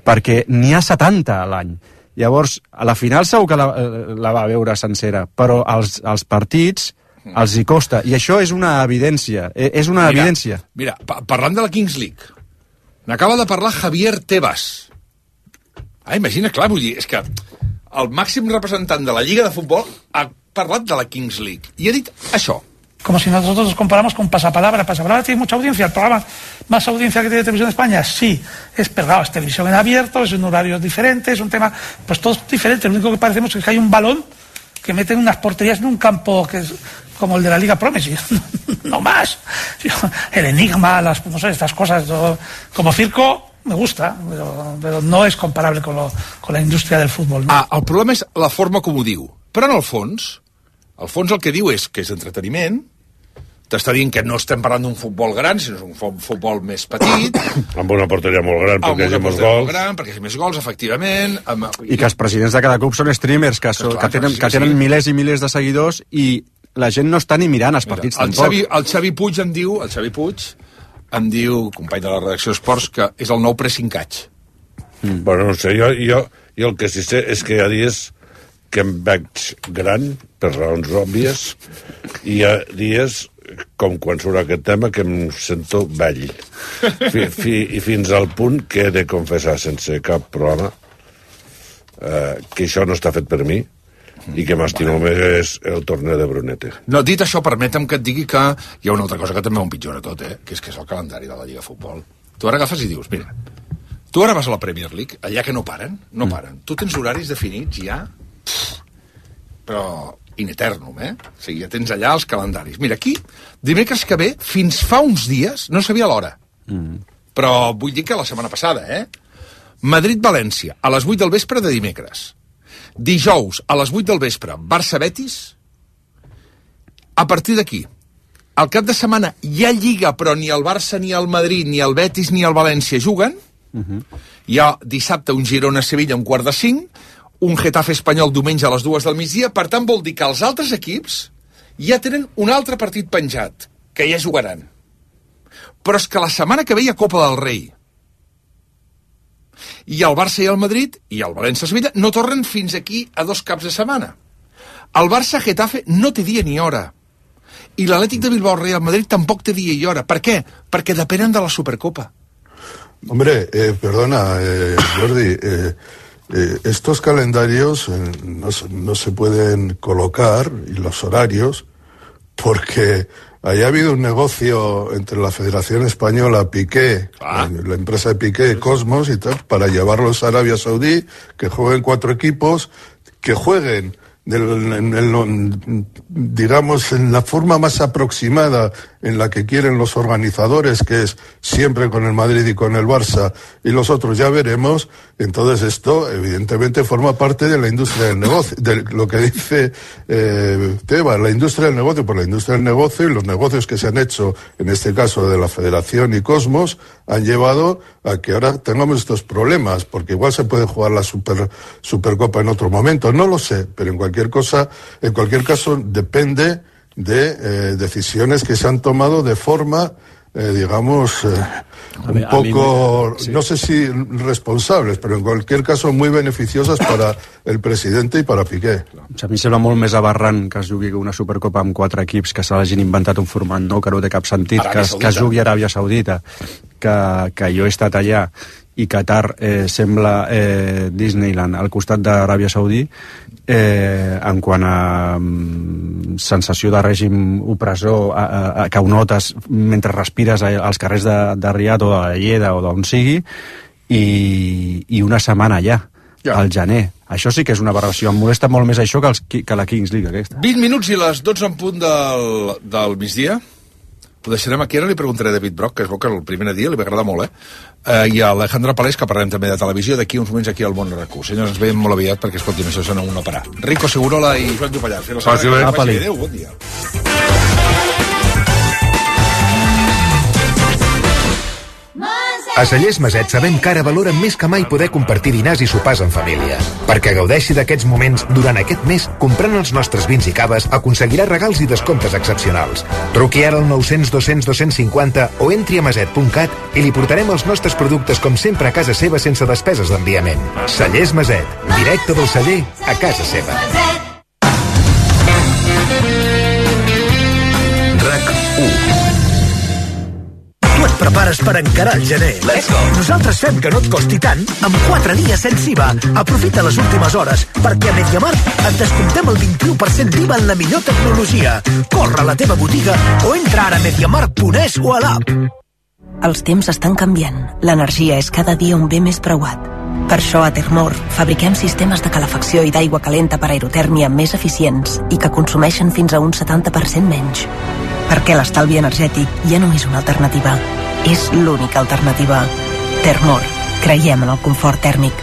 perquè n'hi ha 70 a l'any. Llavors, a la final segur que la va veure sencera, però als partits els hi costa, i això és una evidència. Mira, parlant de la Kings League, n'acaba de parlar Javier Tebas. Imagina, clar, vull dir, és que el màxim representant de la Lliga de Futbol ha parlat de la Kings League i ha dit això. Como si nosotros nos comparamos con Pasapalabra. Pasapalabra tiene mucha audiencia. ¿El programa más audiencia que tiene Televisión de España? Sí. Es pegado, es televisión en abierto, es un horario diferente, es un tema... Pues todo es diferente. Lo único que parecemos es que hay un balón que meten unas porterías en un campo que es como el de la Liga Promes. No más. El enigma, no sé, estas cosas. Como circo me gusta, pero no es comparable con la indústria del futbol. No? El problema és la forma com ho diu. Però en el fons el que diu és que és entreteniment, t'està dient que no estem parlant d'un futbol gran, sinó un futbol més petit. Amb una porteria molt gran, perquè hi ha més gols. Perquè hi ha més gols, efectivament. I que els presidents de cada club són streamers, que tenen milers i milers de seguidors, i la gent no està ni mirant els partits tampoc. El Xavi Puig em diu, company de la redacció d'Esports, que és el nou pressingatge. Bueno, no sé, jo el que sí sé és que hi ha dies que em veig gran, per raons òbvies, i hi ha dies, com quan surt aquest tema, que em sento vell. I fins al punt que he de confessar sense cap problema que això no està fet per mi i que m'estimo més el torneig de Brunete. No, dit això, permetem que et digui que hi ha una altra cosa que també ho empitjora tot, que és el calendari de la Lliga de Futbol. Tu ara agafes i dius, mira, tu ara vas a la Premier League, allà que no paren. Tu tens horaris definits ja, però in eternum, O sigui, ja tens allà els calendaris. Mira, aquí, dimecres que ve, fins fa uns dies, no sabia l'hora. Però vull dir que la setmana passada, Madrid-València, a les 8 del vespre de dimecres. Dijous, a les 8 del vespre, Barça-Betis. A partir d'aquí, al cap de setmana hi ha Lliga, però ni el Barça, ni el Madrid, ni el Betis, ni el València juguen. Hi ha dissabte un Girona-Sevilla a 4:45, un Getafe Espanyol diumenge a les 2 del migdia. Per tant, vol dir que els altres equips ja tenen un altre partit penjat, que ja jugaran. Però és que la setmana que ve hi ha Copa del Rei. I el Barça i el Madrid, i el València-Sevilla, no tornen fins aquí a 2 caps de setmana. El Barça-Getafe no té dia ni hora. I l'Atlètic de Bilbao-Real Madrid tampoc té dia i hora. Per què? Perquè depenen de la Supercopa. Hombre, perdona, Jordi, estos calendarios no se pueden colocar, y los horarios, porque haya habido un negocio entre la Federación Española, Piqué, la empresa de Piqué, Cosmos y tal, para llevarlos a Arabia Saudí, que jueguen 4 equipos, que jueguen digamos, en la forma más aproximada en la que quieren los organizadores, que es siempre con el Madrid y con el Barça, y los otros ya veremos. Entonces esto evidentemente forma parte de la industria del negocio, de lo que dice Tebas, la industria del negocio. Por la industria del negocio y los negocios que se han hecho, en este caso de la Federación y Cosmos, han llevado a que ahora tengamos estos problemas, porque igual se puede jugar la Supercopa en otro momento, no lo sé, pero en cualquier caso depende de decisiones que se han tomado de forma digamos, un poco, no sé si responsables, pero en cualquier caso muy beneficiosas para el presidente i per a Piqué. A mi sembla molt més aberrant que es jugui una Supercopa amb 4 equips, que se l'hagin inventat un format nou que no té cap sentit, que es jugui a Aràbia Saudita, que jo he estat allà, i Qatar sembla Disneyland al costat d'Aràbia Saudí, en quant a sensació de règim opressor que ho notes mentre respires als carrers de Riad o de la Lleida o d'on sigui, i una setmana allà, al gener. Això sí que és una aberració. Em molesta molt més això que la Kings League aquesta. 20 minuts i les 12 en punt del migdia. Ho deixarem aquí, ara li preguntaré a David Brock, que es veu que el primer dia li va agradar molt, i a Alejandra Palés, que parlarem també de televisió, d'aquí uns moments aquí al Món RQ. Senyors, ens veiem molt aviat, perquè escolti'm, això sona una parar. Rico Segurola i Joan Dupallà. Adéu, bon dia. A Cellers Maset sabem que ara valoren més que mai poder compartir dinars i sopars en família. Perquè gaudeixi d'aquests moments durant aquest mes, comprant els nostres vins i caves, aconseguirà regals i descomptes excepcionals. Truqui ara al 900 200 250 o entri a maset.cat i li portarem els nostres productes com sempre a casa seva sense despeses d'enviament. Cellers Maset, directe del celler a casa seva. RAC 1. Tu et prepares per encarar el gener. Let's go! Nosaltres fem que no et costi tant amb 4 dies sense IVA. Aprofita les últimes hores perquè a MediaMarkt et descomptem el 21% d'IVA en la millor tecnologia. Corre a la teva botiga o entra ara a MediaMarkt.es o a l'app. Els temps estan canviant. L'energia és cada dia un bé més preuat. Per això a Termor fabriquem sistemes de calefacció i d'aigua calenta per aerotèrmia més eficients i que consumeixen fins a un 70% menys. Perquè l'estalvi energètic ja no és una alternativa, és l'única alternativa. Termor, creiem en el confort tèrmic.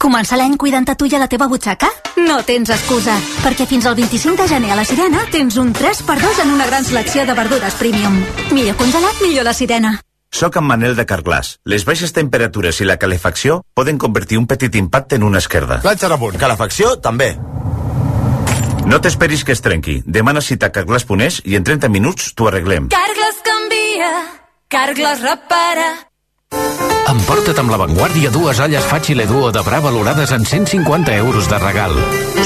Començar l'any cuidant a tu i a la teva butxaca? No tens excusa, perquè fins al 25 de gener a la Sirena tens un 3x2 en una gran selecció de verdures premium. Millor congelat, millor la Sirena. Soc en Manel de Carglass. Les baixes temperatures i la calefacció poden convertir un petit impacte en una esquerda. Platja a punt. Calefacció, també. No t'esperis que es trenqui. Demana cita a Carglass.es i en 30 minuts t'ho arreglem. Carglass canvia, Carglass repara. Emporta't amb l'avantguàrdia 2 olles Facile Duo de Bra valorades en 150 euros de regal.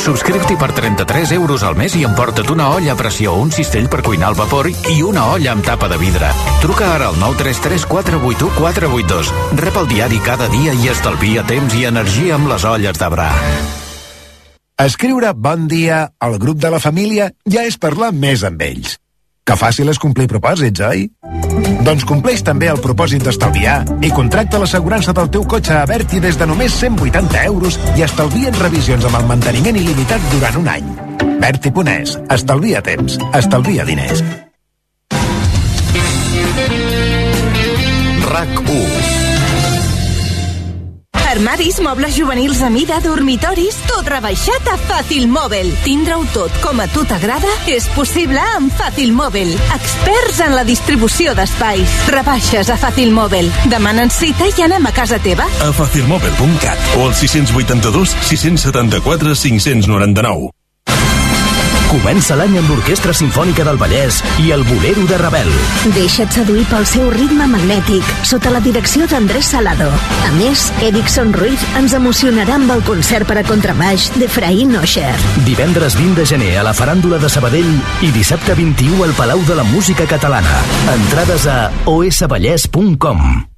Subscriu-t'hi per 33 euros al mes i emporta't una olla a pressió, un cistell per cuinar al vapor i una olla amb tapa de vidre. Truca ara al 933 481 482. Rep el diari cada dia i estalvia temps i energia amb les olles de Bra. Escriure bon dia al grup de la família ja és parlar més amb ells. Que fàcil és complir propòsits, oi? Doncs compleix també el propòsit d'estalviar i contracta l'assegurança del teu cotxe a Berti des de només 180 euros i estalvia en revisions amb el manteniment il·limitat durant un any. Berti.es. Estalvia temps. Estalvia diners. RAC 1. Armaris, mobles juvenils a mida, dormitoris, tot rebaixat a Fàcil Mòbil. Tindre-ho tot com a tu t'agrada és possible amb Fàcil Mòbil. Experts en la distribució d'espais. Rebaixes a Fàcil Mòbil. Demanen cita i anem a casa teva. A facilmòbil.cat o al 682 674 599. Comença l'any amb l'Orquestra Simfònica del Vallès i el Bolero de Ravel. Deixa't seduir pel seu ritme magnètic, sota la direcció d'Andrés Salado. A més, Erickson Ruiz ens emocionarà amb el concert per a contrabaix d'Efraín Osher. Divendres 20 de gener a la Faràndula de Sabadell i dissabte 21 al Palau de la Música Catalana. Entrades a osvallès.com.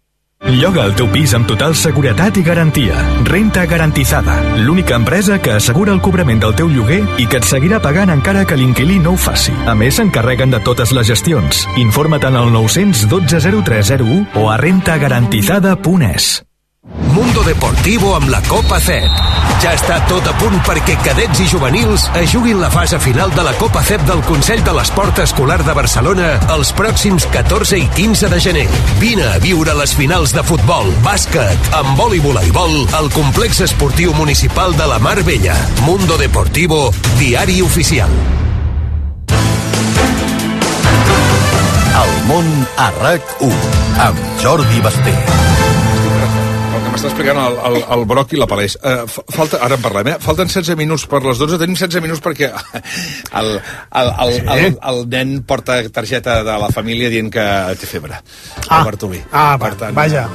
Lloga el teu pis amb total seguretat i garantia. Renta Garantizada, l'única empresa que assegura el cobrament del teu lloguer i que et seguirà pagant encara que l'inquilí no ho faci. A més, s'encarreguen de totes les gestions. Informa't al 912 0301 o a rentagarantizada.es. Mundo Deportivo amb la Copa CEP. Ja està tot a punt perquè cadets i juvenils es juguin la fase final de la Copa CEP del Consell de l'Esport Escolar de Barcelona els pròxims 14 i 15 de gener. Vine a viure les finals de futbol, bàsquet, handbol i voleibol al Complex Esportiu Municipal de la Mar Bella. Mundo Deportivo, diari oficial. El món a RAC 1 amb Jordi Basté. m'està explicant el Broc i la Palès. Ara en parlem, Falten 16 minuts per les 12. Tenim 16 minuts perquè el nen porta targeta de la família dient que té febre. El Bartolí. Per tant, vaja.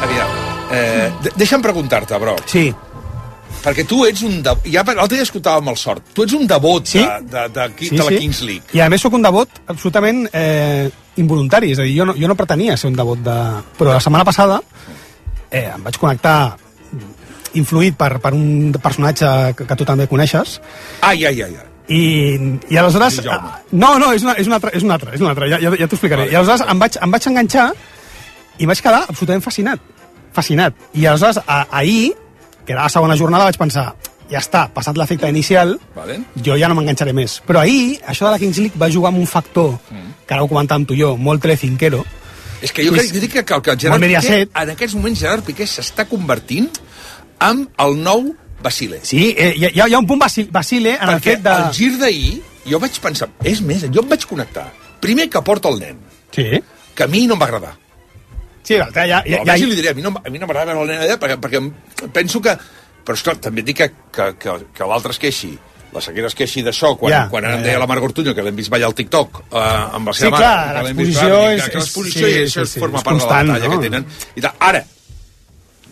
Aviam. Deixa'm preguntar-te, Broc. Sí. Perquè tu ets un... L'altre dia escoltàvem el Sort. Tu ets un devot de la Kings League. I a més sóc un devot absolutament involuntari. És a dir, jo no pretenia ser un devot de... Però la setmana passada em vaig connectar influït per un personatge que tu també coneixes. Ai. I aleshores... No, és un altre. Ja t'ho explicaré. I aleshores em vaig enganxar i vaig quedar absolutament fascinat. I aleshores ahir, que era la segona jornada, vaig pensar, ja està, passat l'efecte inicial, jo ja no m'enganxaré més. Però ahir, això de la Kings League va jugar amb un factor, que ara ho comentàvem tu i jo, molt telecinquero. És que jo dic que el Gerard Piqué, en aquests moments Gerard Piqué s'està convertint en el nou Basile. Sí, hi ha un punt Basile en el fet de... Perquè el gir d'ahir, jo vaig pensar, és més, jo em vaig connectar. Primer que porta el nen, que a mi no em va agradar. Sí, l'altre ja... Li diré, a mi no m'agrada veure el nen allà perquè penso que... Però esclar, també et dic que l'altre es queixi, la Sequera es queixi d'això, quan em deia la Marc Ortuño que l'hem vist ballar al TikTok amb la seva mare. Sí, clar, l'exposició i això forma part de la batalla que tenen. Ara,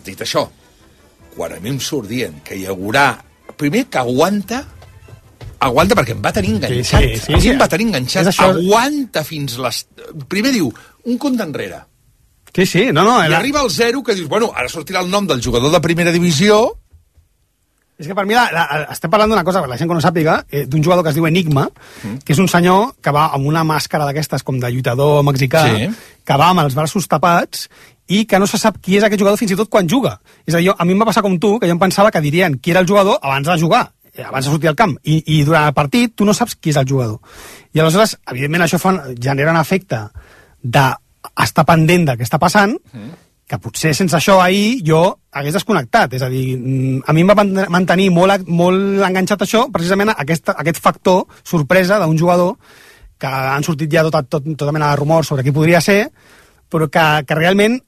dit això, quan a mi em surt dient que hi haurà... Primer que aguanta perquè em va tenir enganxat. Em va tenir enganxat. Aguanta fins les... Primer diu, un compte enrere. Sí, no. I arriba al 0 que dius, bueno, ara sortirà el nom del jugador de primera divisió. És que per mi estem parlant d'una cosa, per la gent que no sàpiga, d'un jugador que es diu Enigma, que és un senyor que va amb una màscara d'aquestes com de lluitador mexicà, que va amb els braços tapats i que no se sap qui és aquest jugador fins i tot quan juga. És a dir, a mi em va passar com tu, que jo em pensava que dirien qui era el jugador abans de jugar, abans de sortir al camp, i durant el partit tu no saps qui és el jugador. I aleshores, evidentment, això genera un efecte de estar pendent del que està passant, que potser sense això ahir jo hagués desconnectat. És a dir, a mi em va mantenir molt enganxat això, precisament aquest factor sorpresa d'un jugador que han sortit ja tota mena de rumors sobre qui podria ser, però que realment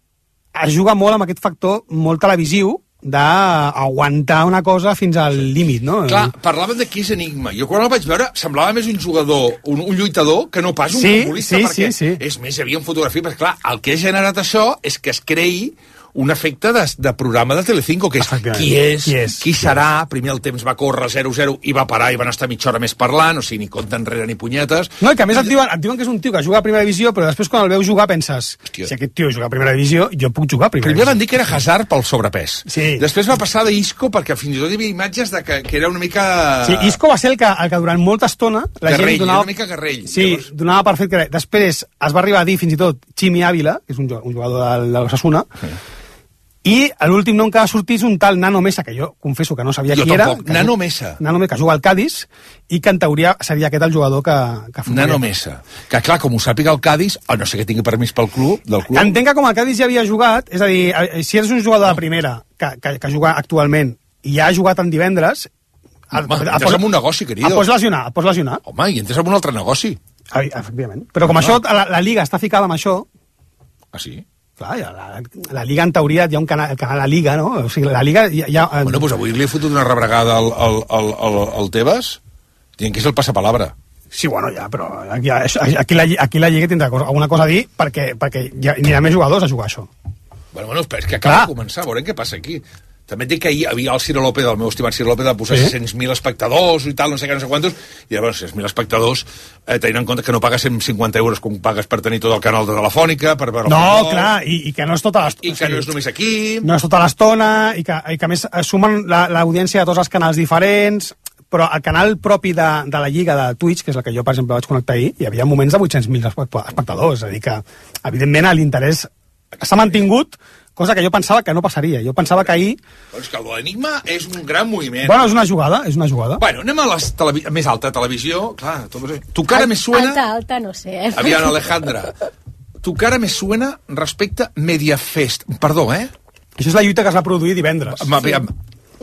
es juga molt amb aquest factor molt televisiu d'aguantar una cosa fins al límit, no? Clar, parlaven de qui és Enigma. Jo quan el vaig veure semblava més un jugador, un lluitador, que no pas un futbolista, perquè és més, hi havia una fotografia, perquè clar, el que ha generat això és que es creï un efecte de programa de Telecinco, que és qui és, qui serà. Primer el temps va córrer 0-0 i va parar i van estar mitja hora més parlant, o sigui, ni compte enrere ni punyetes. No, i que a més et diuen que és un tio que juga a primera divisió, però després quan el veus jugar penses, si aquest tio juga a primera divisió, jo puc jugar a primera divisió. Primer van dir que era Hazard pel sobrepès. Després va passar d'Isco, perquè fins i tot hi havia imatges de que era una mica... Sí, Isco va ser el que durant molta estona la gent donava... una mica Garrell. Sí, donava per fet que... Després es va arribar a dir fins i tot Chimi Ávila, que és un jugador de l'Osasuna, i l'últim nom que va sortir és un tal Nano Mesa, que jo confesso que no sabia qui era. Nano Mesa, que juga al Cádiz, i que en teoria seria aquest el jugador que Nano Mesa. Que clar, com ho sàpiga el Cádiz, no sé que tingui permís del club. Entenc que com el Cádiz ja havia jugat, és a dir, si eres un jugador de primera que juga actualment i ja ha jugat en divendres... Entres en un negoci, querido. Et pots lesionar. Home, i entres en un altre negoci. Efectivament. Però com això, la Liga està ficada amb això... Ah, sí? Clar, la Liga, en teoria, hi ha un canal La Liga, no? O sigui, la Liga... Bueno, doncs avui li he fotut una rebregada al Tebas, dient que és el passapalabra. Sí, bueno, ja, però aquí la Lliga tindrà alguna cosa a dir perquè ja anirà més jugadors a jugar això. Bueno, és que acaba de començar, veurem què passa aquí. També et dic que ahir havia el Ciro López, el meu estimat Ciro López, de posar 600.000 espectadors i tal, no sé què, no sé quantos, i llavors 600.000 espectadors, tenint en compte que no pagues 150 euros com pagues per tenir tot el canal de Telefònica, per veure... No, clar, i que no és tota l'estona. I que no és només aquí... No és tota l'estona, i que a més sumen l'audiència de tots els canals diferents, però el canal propi de la Lliga de Twitch, que és el que jo, per exemple, vaig connectar ahir, hi havia moments de 800.000 espectadors, és a dir que, evidentment, l'interès s'ha mantingut, cosa que jo pensava que no passaria. Jo pensava que ahir... Doncs que l'Enigma és un gran moviment. Bueno, és una jugada. Bueno, anem a la més alta televisió. Clar, tu cara me suena... Alta, no sé. Aviam, Alejandra. Tu cara me suena respecte Mediafest. Perdó, Això és la lluita que es va produir divendres. Aviam,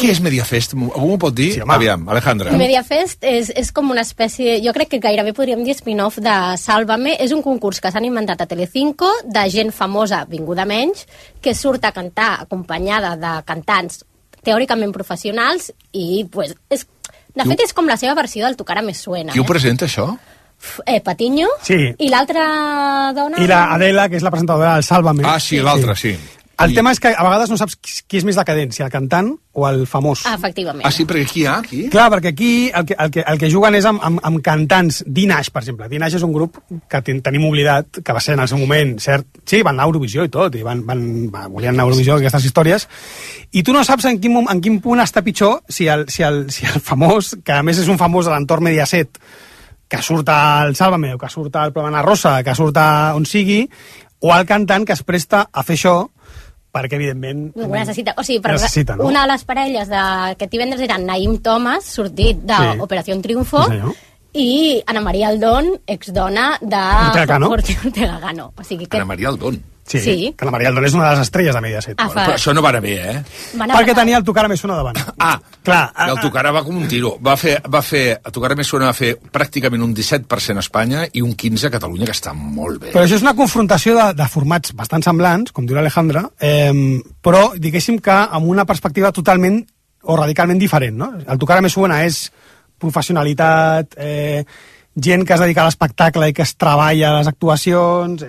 Què és Mediafest? Algú m'ho pot dir? Sí, aviam, Alejandra. Mediafest és com una espècie, jo crec que gairebé podríem dir spin-off de Sálvame. És un concurs que s'han inventat a Telecinco de gent famosa, vinguda menys, que surt a cantar acompanyada de cantants teòricament professionals i, pues, de fet, és com la seva versió del Tu cara me suena. Qui ho presenta, això? Patiño. Sí. I l'altra dona... I la Adela, que és la presentadora del Sálvame. Ah, sí, l'altra, sí. El tema és que a vegades no saps qui és més decadent, si el cantant o el famós. Efectivament. Ah, sí, perquè qui hi ha, aquí? Clar, perquè aquí el que juguen és amb cantants. Dinash, per exemple. Dinash és un grup que tenim oblidat, que va ser en el seu moment, cert? Sí, van anar a Eurovisió i tot, i volien anar a Eurovisió, aquestes històries, i tu no saps en quin punt està pitjor si el famós, que a més és un famós de l'entorn Mediaset, que surt al Sálvame, o que surt al programa Rosa, que surt a on sigui, o el cantant que es presta a fer això, perquè, evidentment... Ho necessita. O sigui, necessita, no? Una de les parelles d'aquest divendres era Naïm Thomas, sortit d'Operació Triunfo, i Ana María Aldón, exdona de Ortega Cano. O sigui que... Ana María Aldón. Sí, que la Maria Aldón és una de les estrelles de Mediaset. Però això no va anar bé, Perquè tenia el Tu cara me suena davant. Clar. El Tu cara va com un tiro. El Tu cara me suena va fer pràcticament un 17% a Espanya i un 15% a Catalunya, que està molt bé. Però això és una confrontació de formats bastant semblants, com diu l'Alejandra, però diguéssim que amb una perspectiva totalment o radicalment diferent, no? El Tu cara me suena és professionalitat, gent que es dedica a l'espectacle i que es treballa a les actuacions...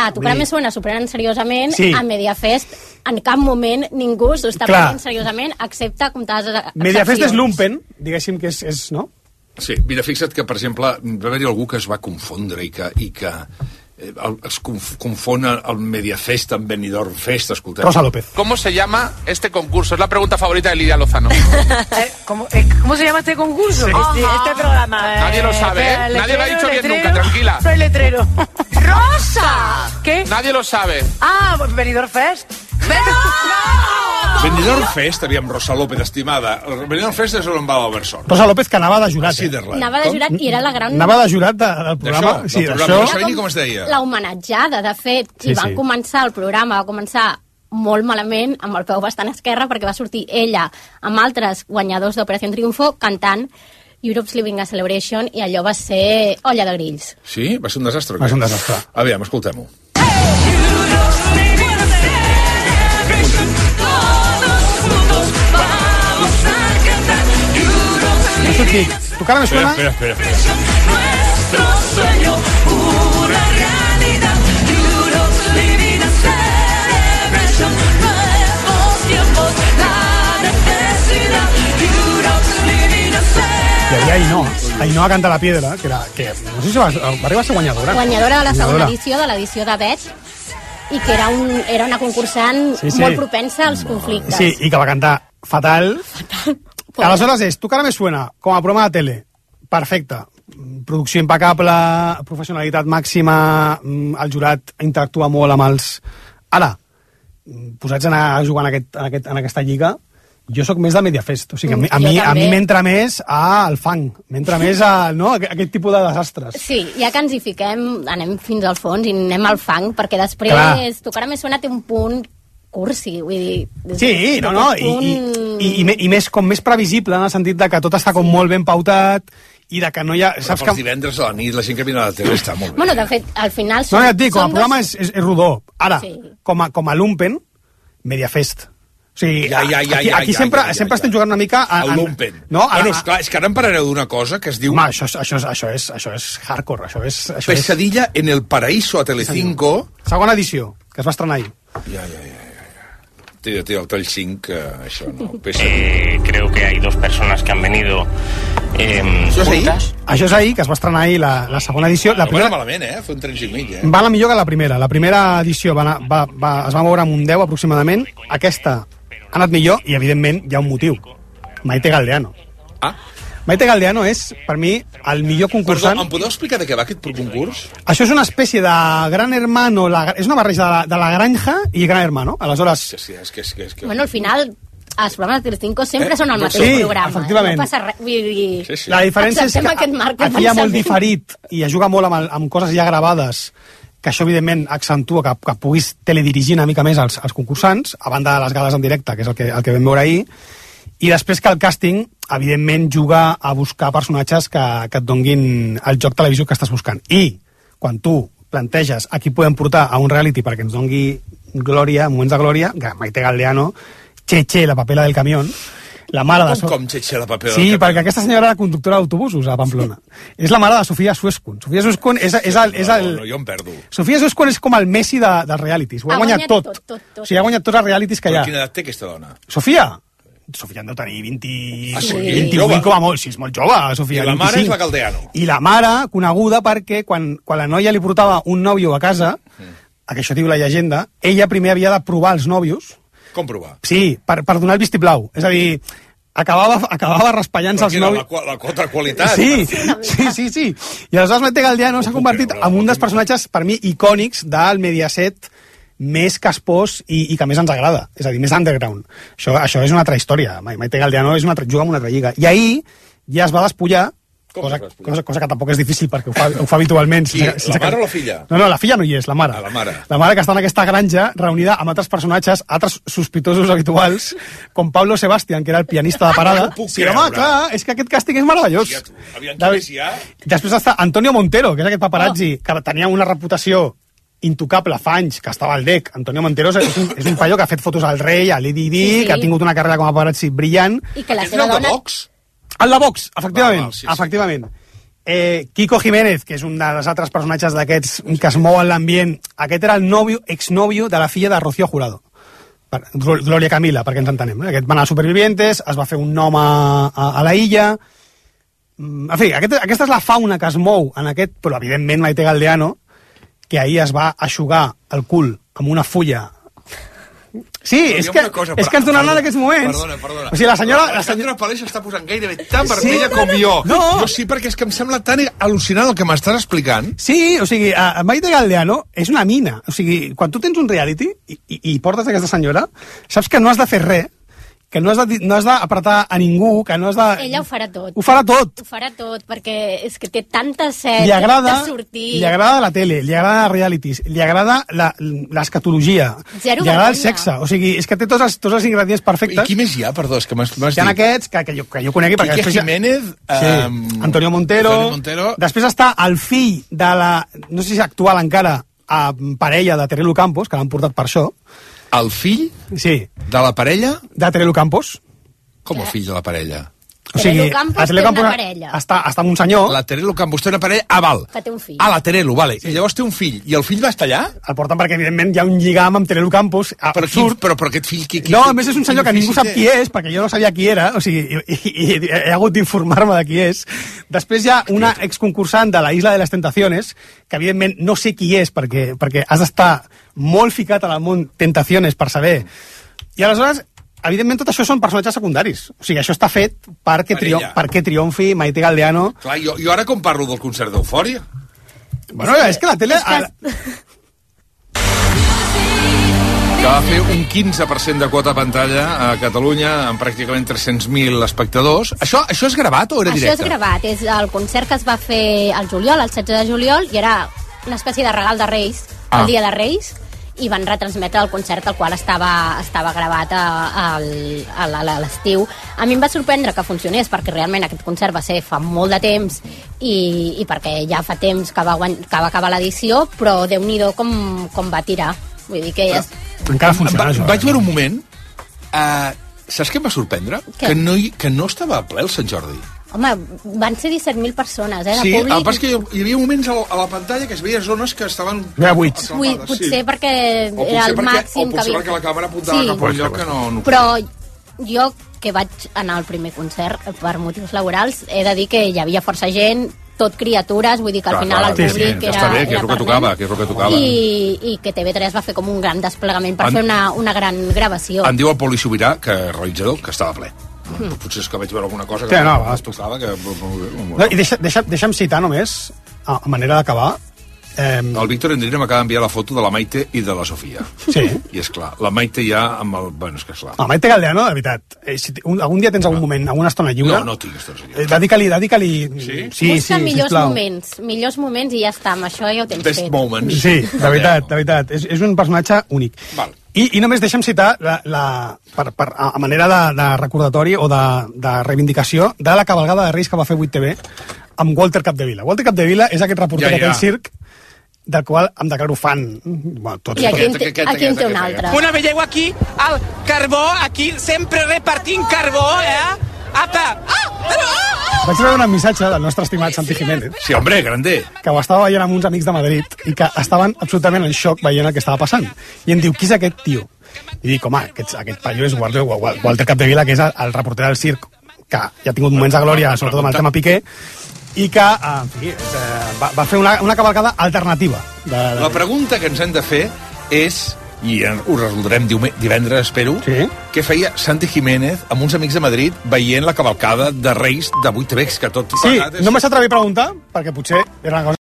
A Tu cara me suena s'ho prenen seriosament, a Mediafest en cap moment ningú s'ho està prenent seriosament, excepte comptades excepcions. Mediafest és lumpen, diguéssim que és, no? Sí, mira, fixa't que, per exemple, va haver-hi algú que es va confondre i que es confon el Mediafest amb Benidorm Fest, escoltem. Rosa López. ¿Cómo se llama este concurso? Es la pregunta favorita de Lidia Lozano. ¿Cómo se llama este concurso? Sí. Este programa. Nadie lo sabe, ¿eh? Nadie lo ha dicho bien nunca, tranquila. Soy letrero. ¡Rosa! ¿Qué? Nadie lo sabe. Ah, pues Benidorm Fest. Benidorm Fest, aviam, Rosa López, estimada. Benidorm Fest és on va l'Albert Sort. Rosa López, que anava de jurat. Anava de jurat i era la gran... Anava de jurat del programa. Sí, del programa. No sabia ni com es deia. La homenatjada, de fet. I van començar el programa, va començar molt malament, amb el peu bastant esquerre, perquè va sortir ella amb altres guanyadors d'Operació Triunfo cantant Europe's Living a Celebration, i allò va ser olla de grills. Sí? Va ser un desastre? Va ser un desastre. Aviam, escoltem-ho. Tu cara me suena... Espera. Nuestro sueño, una realidad. Europe's Living a Celebration. Nuevos tiempos, la necesidad. Europe's Living a Celebration. Hi havia Ainhoa Canta la Piedra, que no sé si va arribar a ser guanyadora. Guanyadora de la segona edició, de l'edició de Bet, i que era una concursant molt propensa als conflictes. Sí, i que va cantar fatal. Aleshores és Tu cara me suena, com a programa de tele, perfecte, producció impecable, professionalitat màxima, el jurat interactua molt amb els... Ara, posats a jugar en aquesta lliga, jo sóc més de Mediafest, o sigui, a mi m'entra més al fang, m'entra més a aquest tipus de desastres. Sí, ja que ens hi fiquem, anem fins al fons i anem al fang, perquè després Tu cara me suena té un punt cursi, vull dir... Sí, i més previsible, en el sentit de que tot està com molt ben pautat i de que no hi ha... Però pels divendres a la nit la gent que vine a la tele està molt bé. Bueno, de fet, al final... No, ja et dic, com a programa és rodó. Ara, com a lumpen, Mediafest. O sigui, aquí sempre estem jugant una mica... El lumpen. No? Bueno, esclar, és que ara em parareu d'una cosa que es diu... Home, això és hardcore, això és... Pesadilla en el Paraíso a Telecinco. Segona edició, que es va estrenar ahir. Ja. Té el tall 5, això, no? Creo que hay dos personas que han venido juntas. Això és ahir, que es va estrenar ahir la segona edició. No va malament, Fue un 3 i mig, Va anar millor que la primera. La primera edició es va moure amb un 10, aproximadament. Aquesta ha anat millor, i, evidentment, hi ha un motiu. Maite Galdeano. Maite Galdeano és, per mi, el millor concursant... Perdó, em podeu explicar de què va aquest concurs? Això és una espècie de Gran Hermano, és una barreja de La Granja i Gran Hermano. Aleshores... Sí, és que... Bueno, al final, els programes de Telecinco sempre són el mateix programa. Efectivament. No passa res. Vull dir... La diferència és que aquí hi ha molt diferit i es juga molt amb coses ja gravades que això, evidentment, accentua que puguis teledirigir una mica més els concursants, a banda de les gales en directe, que és el que vam veure ahir, i després que el càsting, evidentment, juga a buscar personatges que et donguin el joc televisiu que estàs buscant. I quan tu planteges a qui podem portar a un reality perquè ens dongui glòria, moments de glòria, Maite Galdeano, Cheche, la papela del camión, la mare de... Com Cheche, la papela del Sí, camión? perquè aquesta senyora era conductora d'autobusos a Pamplona. És la mare de Sofia Suescun. Sofia Suescun és el... No, jo em perdo. Sofia Suescun és com el Messi dels realities. Ho ha guanyat tot. O sigui, ha guanyat tots els realities que hi ha. Però quina edat té aquesta dona? Sofia en deu tenir 20... Ah, sí? 28 com a molt. Sí, és molt jove, Sofia. I la mare 25. és la Galdeano. I la mare, coneguda perquè quan la noia li portava un nòvio a casa, que això diu la llegenda, ella primer havia de provar els nòvios. Com provar? Sí, per donar el vistiplau. És a dir, acabava raspallant-se els nòvios. La contraqualitat. Sí. I aleshores Maite Galdeano s'ha convertit en un dels personatges, per mi, icònics del Mediaset més caspós i que més ens agrada. És a dir, més underground. Això és una altra història. Maite Galdeano juga en una altra lliga. I ahir ja es va despullar, cosa que tampoc és difícil perquè ho fa habitualment. La mare o la filla? No, la filla no hi és, la mare. La mare. La mare que està en aquesta granja reunida amb altres personatges, altres sospitosos habituals, com Pablo Sebastián, que era el pianista de parada. Sí, home, clar, és que aquest càsting és meravellós. Després està Antonio Montero, que és aquest paparazzi que tenia una reputació intocable fa anys, que estava al DEC. Antonio Montero és un paio que ha fet fotos al rei, a l'Eddie Di, que ha tingut una carrera com a paparazzi brillant. I que la seva dona... El de Vox, efectivament. Kiko Jiménez, que és un dels altres personatges d'aquests que es mou en l'ambient, aquest era el exnòvio de la filla de Rocío Jurado. Gloria Camila, perquè ens entenem. Aquest va anar a Supervivientes, es va fer un nom a la illa... En fi, aquesta és la fauna que es mou en aquest, però evidentment Maite Galdeano, que ahir es va aixugar el cul amb una fulla. Sí, és que ens donaran en aquests moments. Perdona. O sigui, la senyora Paleix està posant gairebé tan vermella com jo. No. Jo sí, perquè és que em sembla tan al·lucinant el que m'estàs explicant. Sí, o sigui, Maite Galdeano és una mina. O sigui, quan tu tens un reality i portes aquesta senyora, saps que no has de fer res, que no has d'apretar a ningú, que no has de... Ella ho farà tot. Ho farà tot. Ho farà tot, perquè és que té tanta set de sortir. Li agrada la tele, li agrada els realities, li agrada l'escatologia, li agrada el sexe. O sigui, és que té tots els ingredients perfectes. I qui més hi ha, perdó? És que m'has dit. Hi ha aquests que jo conegui. Quique Jiménez. Antonio Montero. Després està el fill de la... No sé si actual encara, parella de Terelu Campos, que l'han portat per això. El fill de la parella? De Terelu Campos. Com el fill de la parella? O sigui, Terelu Campos té una parella. Està amb un senyor... La Terelu Campos té una parella... Val. Que té un fill. La Terelu, vale. I llavors té un fill. I el fill va estar allà? El porten perquè, evidentment, hi ha un lligam amb Terelu Campos absurd. Però aquest fill... No, a més és un senyor que ningú sap qui és, perquè jo no sabia qui era, o sigui, i he hagut d'informar-me de qui és. Després hi ha una exconcursant de la Isla de les Tentaciones, que evidentment no sé qui és, perquè has d'estar molt ficat en el món Tentaciones per saber. I aleshores... Evidentment, tot això són personatges secundaris. O sigui, això està fet perquè triomfi Maite Galdeano. Clar, jo ara com parlo del concert d'Eufòria? Bueno, és que la tele... Que va fer un 15% de quota pantalla a Catalunya amb pràcticament 300.000 espectadors. Això és gravat o era directe? Això és gravat. És el concert que es va fer al juliol, el 16 de juliol, i era una espècie de regal de Reis, el dia de Reis, i van retransmetre el concert el qual estava gravat a l'estiu. A mi em va sorprendre que funcionés perquè realment aquest concert va ser fa molt de temps i perquè ja fa temps que va acabar l'edició, però Déu-n'hi-do com va tirar. Vull dir que encara funciona. Vaig veure un moment, saps què em va sorprendre? Que no estava ple el Sant Jordi. Home, van ser 17.000 persones, de sí, públic. Sí, el pas que hi havia moments a la pantalla que es veia zones que estaven... buits. Potser perquè era el màxim que havia... O potser perquè la càmera apuntava cap a un lloc que no... Però jo, que vaig anar al primer concert per motius laborals, he de dir que hi havia força gent, tot criatures, vull dir que al final el públic era... Està bé, que és el que tocava. I que TV3 va fer com un gran desplegament per fer una gran gravació. Em diu el Poli Sobirà, que realitzador, que estava ple. Potser és que vaig veure alguna cosa que es tocava. I deixa'm citar només, a manera d'acabar, El Víctor Endrina m'acaba d'enviar la foto de la Maite i de la Sofia. Sí. I és clar, la Maite ja amb el... Bueno, és que és clar. La Maite Galdeano, de veritat, si algun dia tens algun moment, alguna estona lliure... No tinc estona lliure. Dedica-li... Sí? Busca millors moments i ja està, amb això ja ho tens Best fet. moments. Sí, de veritat. És un personatge únic. Val. I només deixa'm citar a manera de recordatori o de reivindicació de la cabalgada de Reis que va fer 8TV amb Walter Capdevila. Walter Capdevila és aquest reporter que té el circ del qual em declaro fan. Bueno, I aquí en té un altre. Bueno, veieu aquí el carbó, aquí sempre repartint carbó, Apa! Vaig veure un missatge del nostre estimat Santi Jiménez. Sí, hombre, grande. Que ho estava veient amb uns amics de Madrid i que estaven absolutament en xoc veient el que estava passant. I em diu, qui és aquest tio? I dic, home, aquest paio és Walter Capdevila, que és el reporter del circ, que ja ha tingut moments de glòria, sobretot amb el tema Piqué, i que, en fi, va fer una cavalcada alternativa. La pregunta que ens hem de fer és, i ho resoldrem divendres, espero, què feia Santi Jiménez amb uns amics de Madrid veient la cavalcada de Reis de 8TV, que tot... Sí, no m'has atrevit a preguntar, perquè potser era una cosa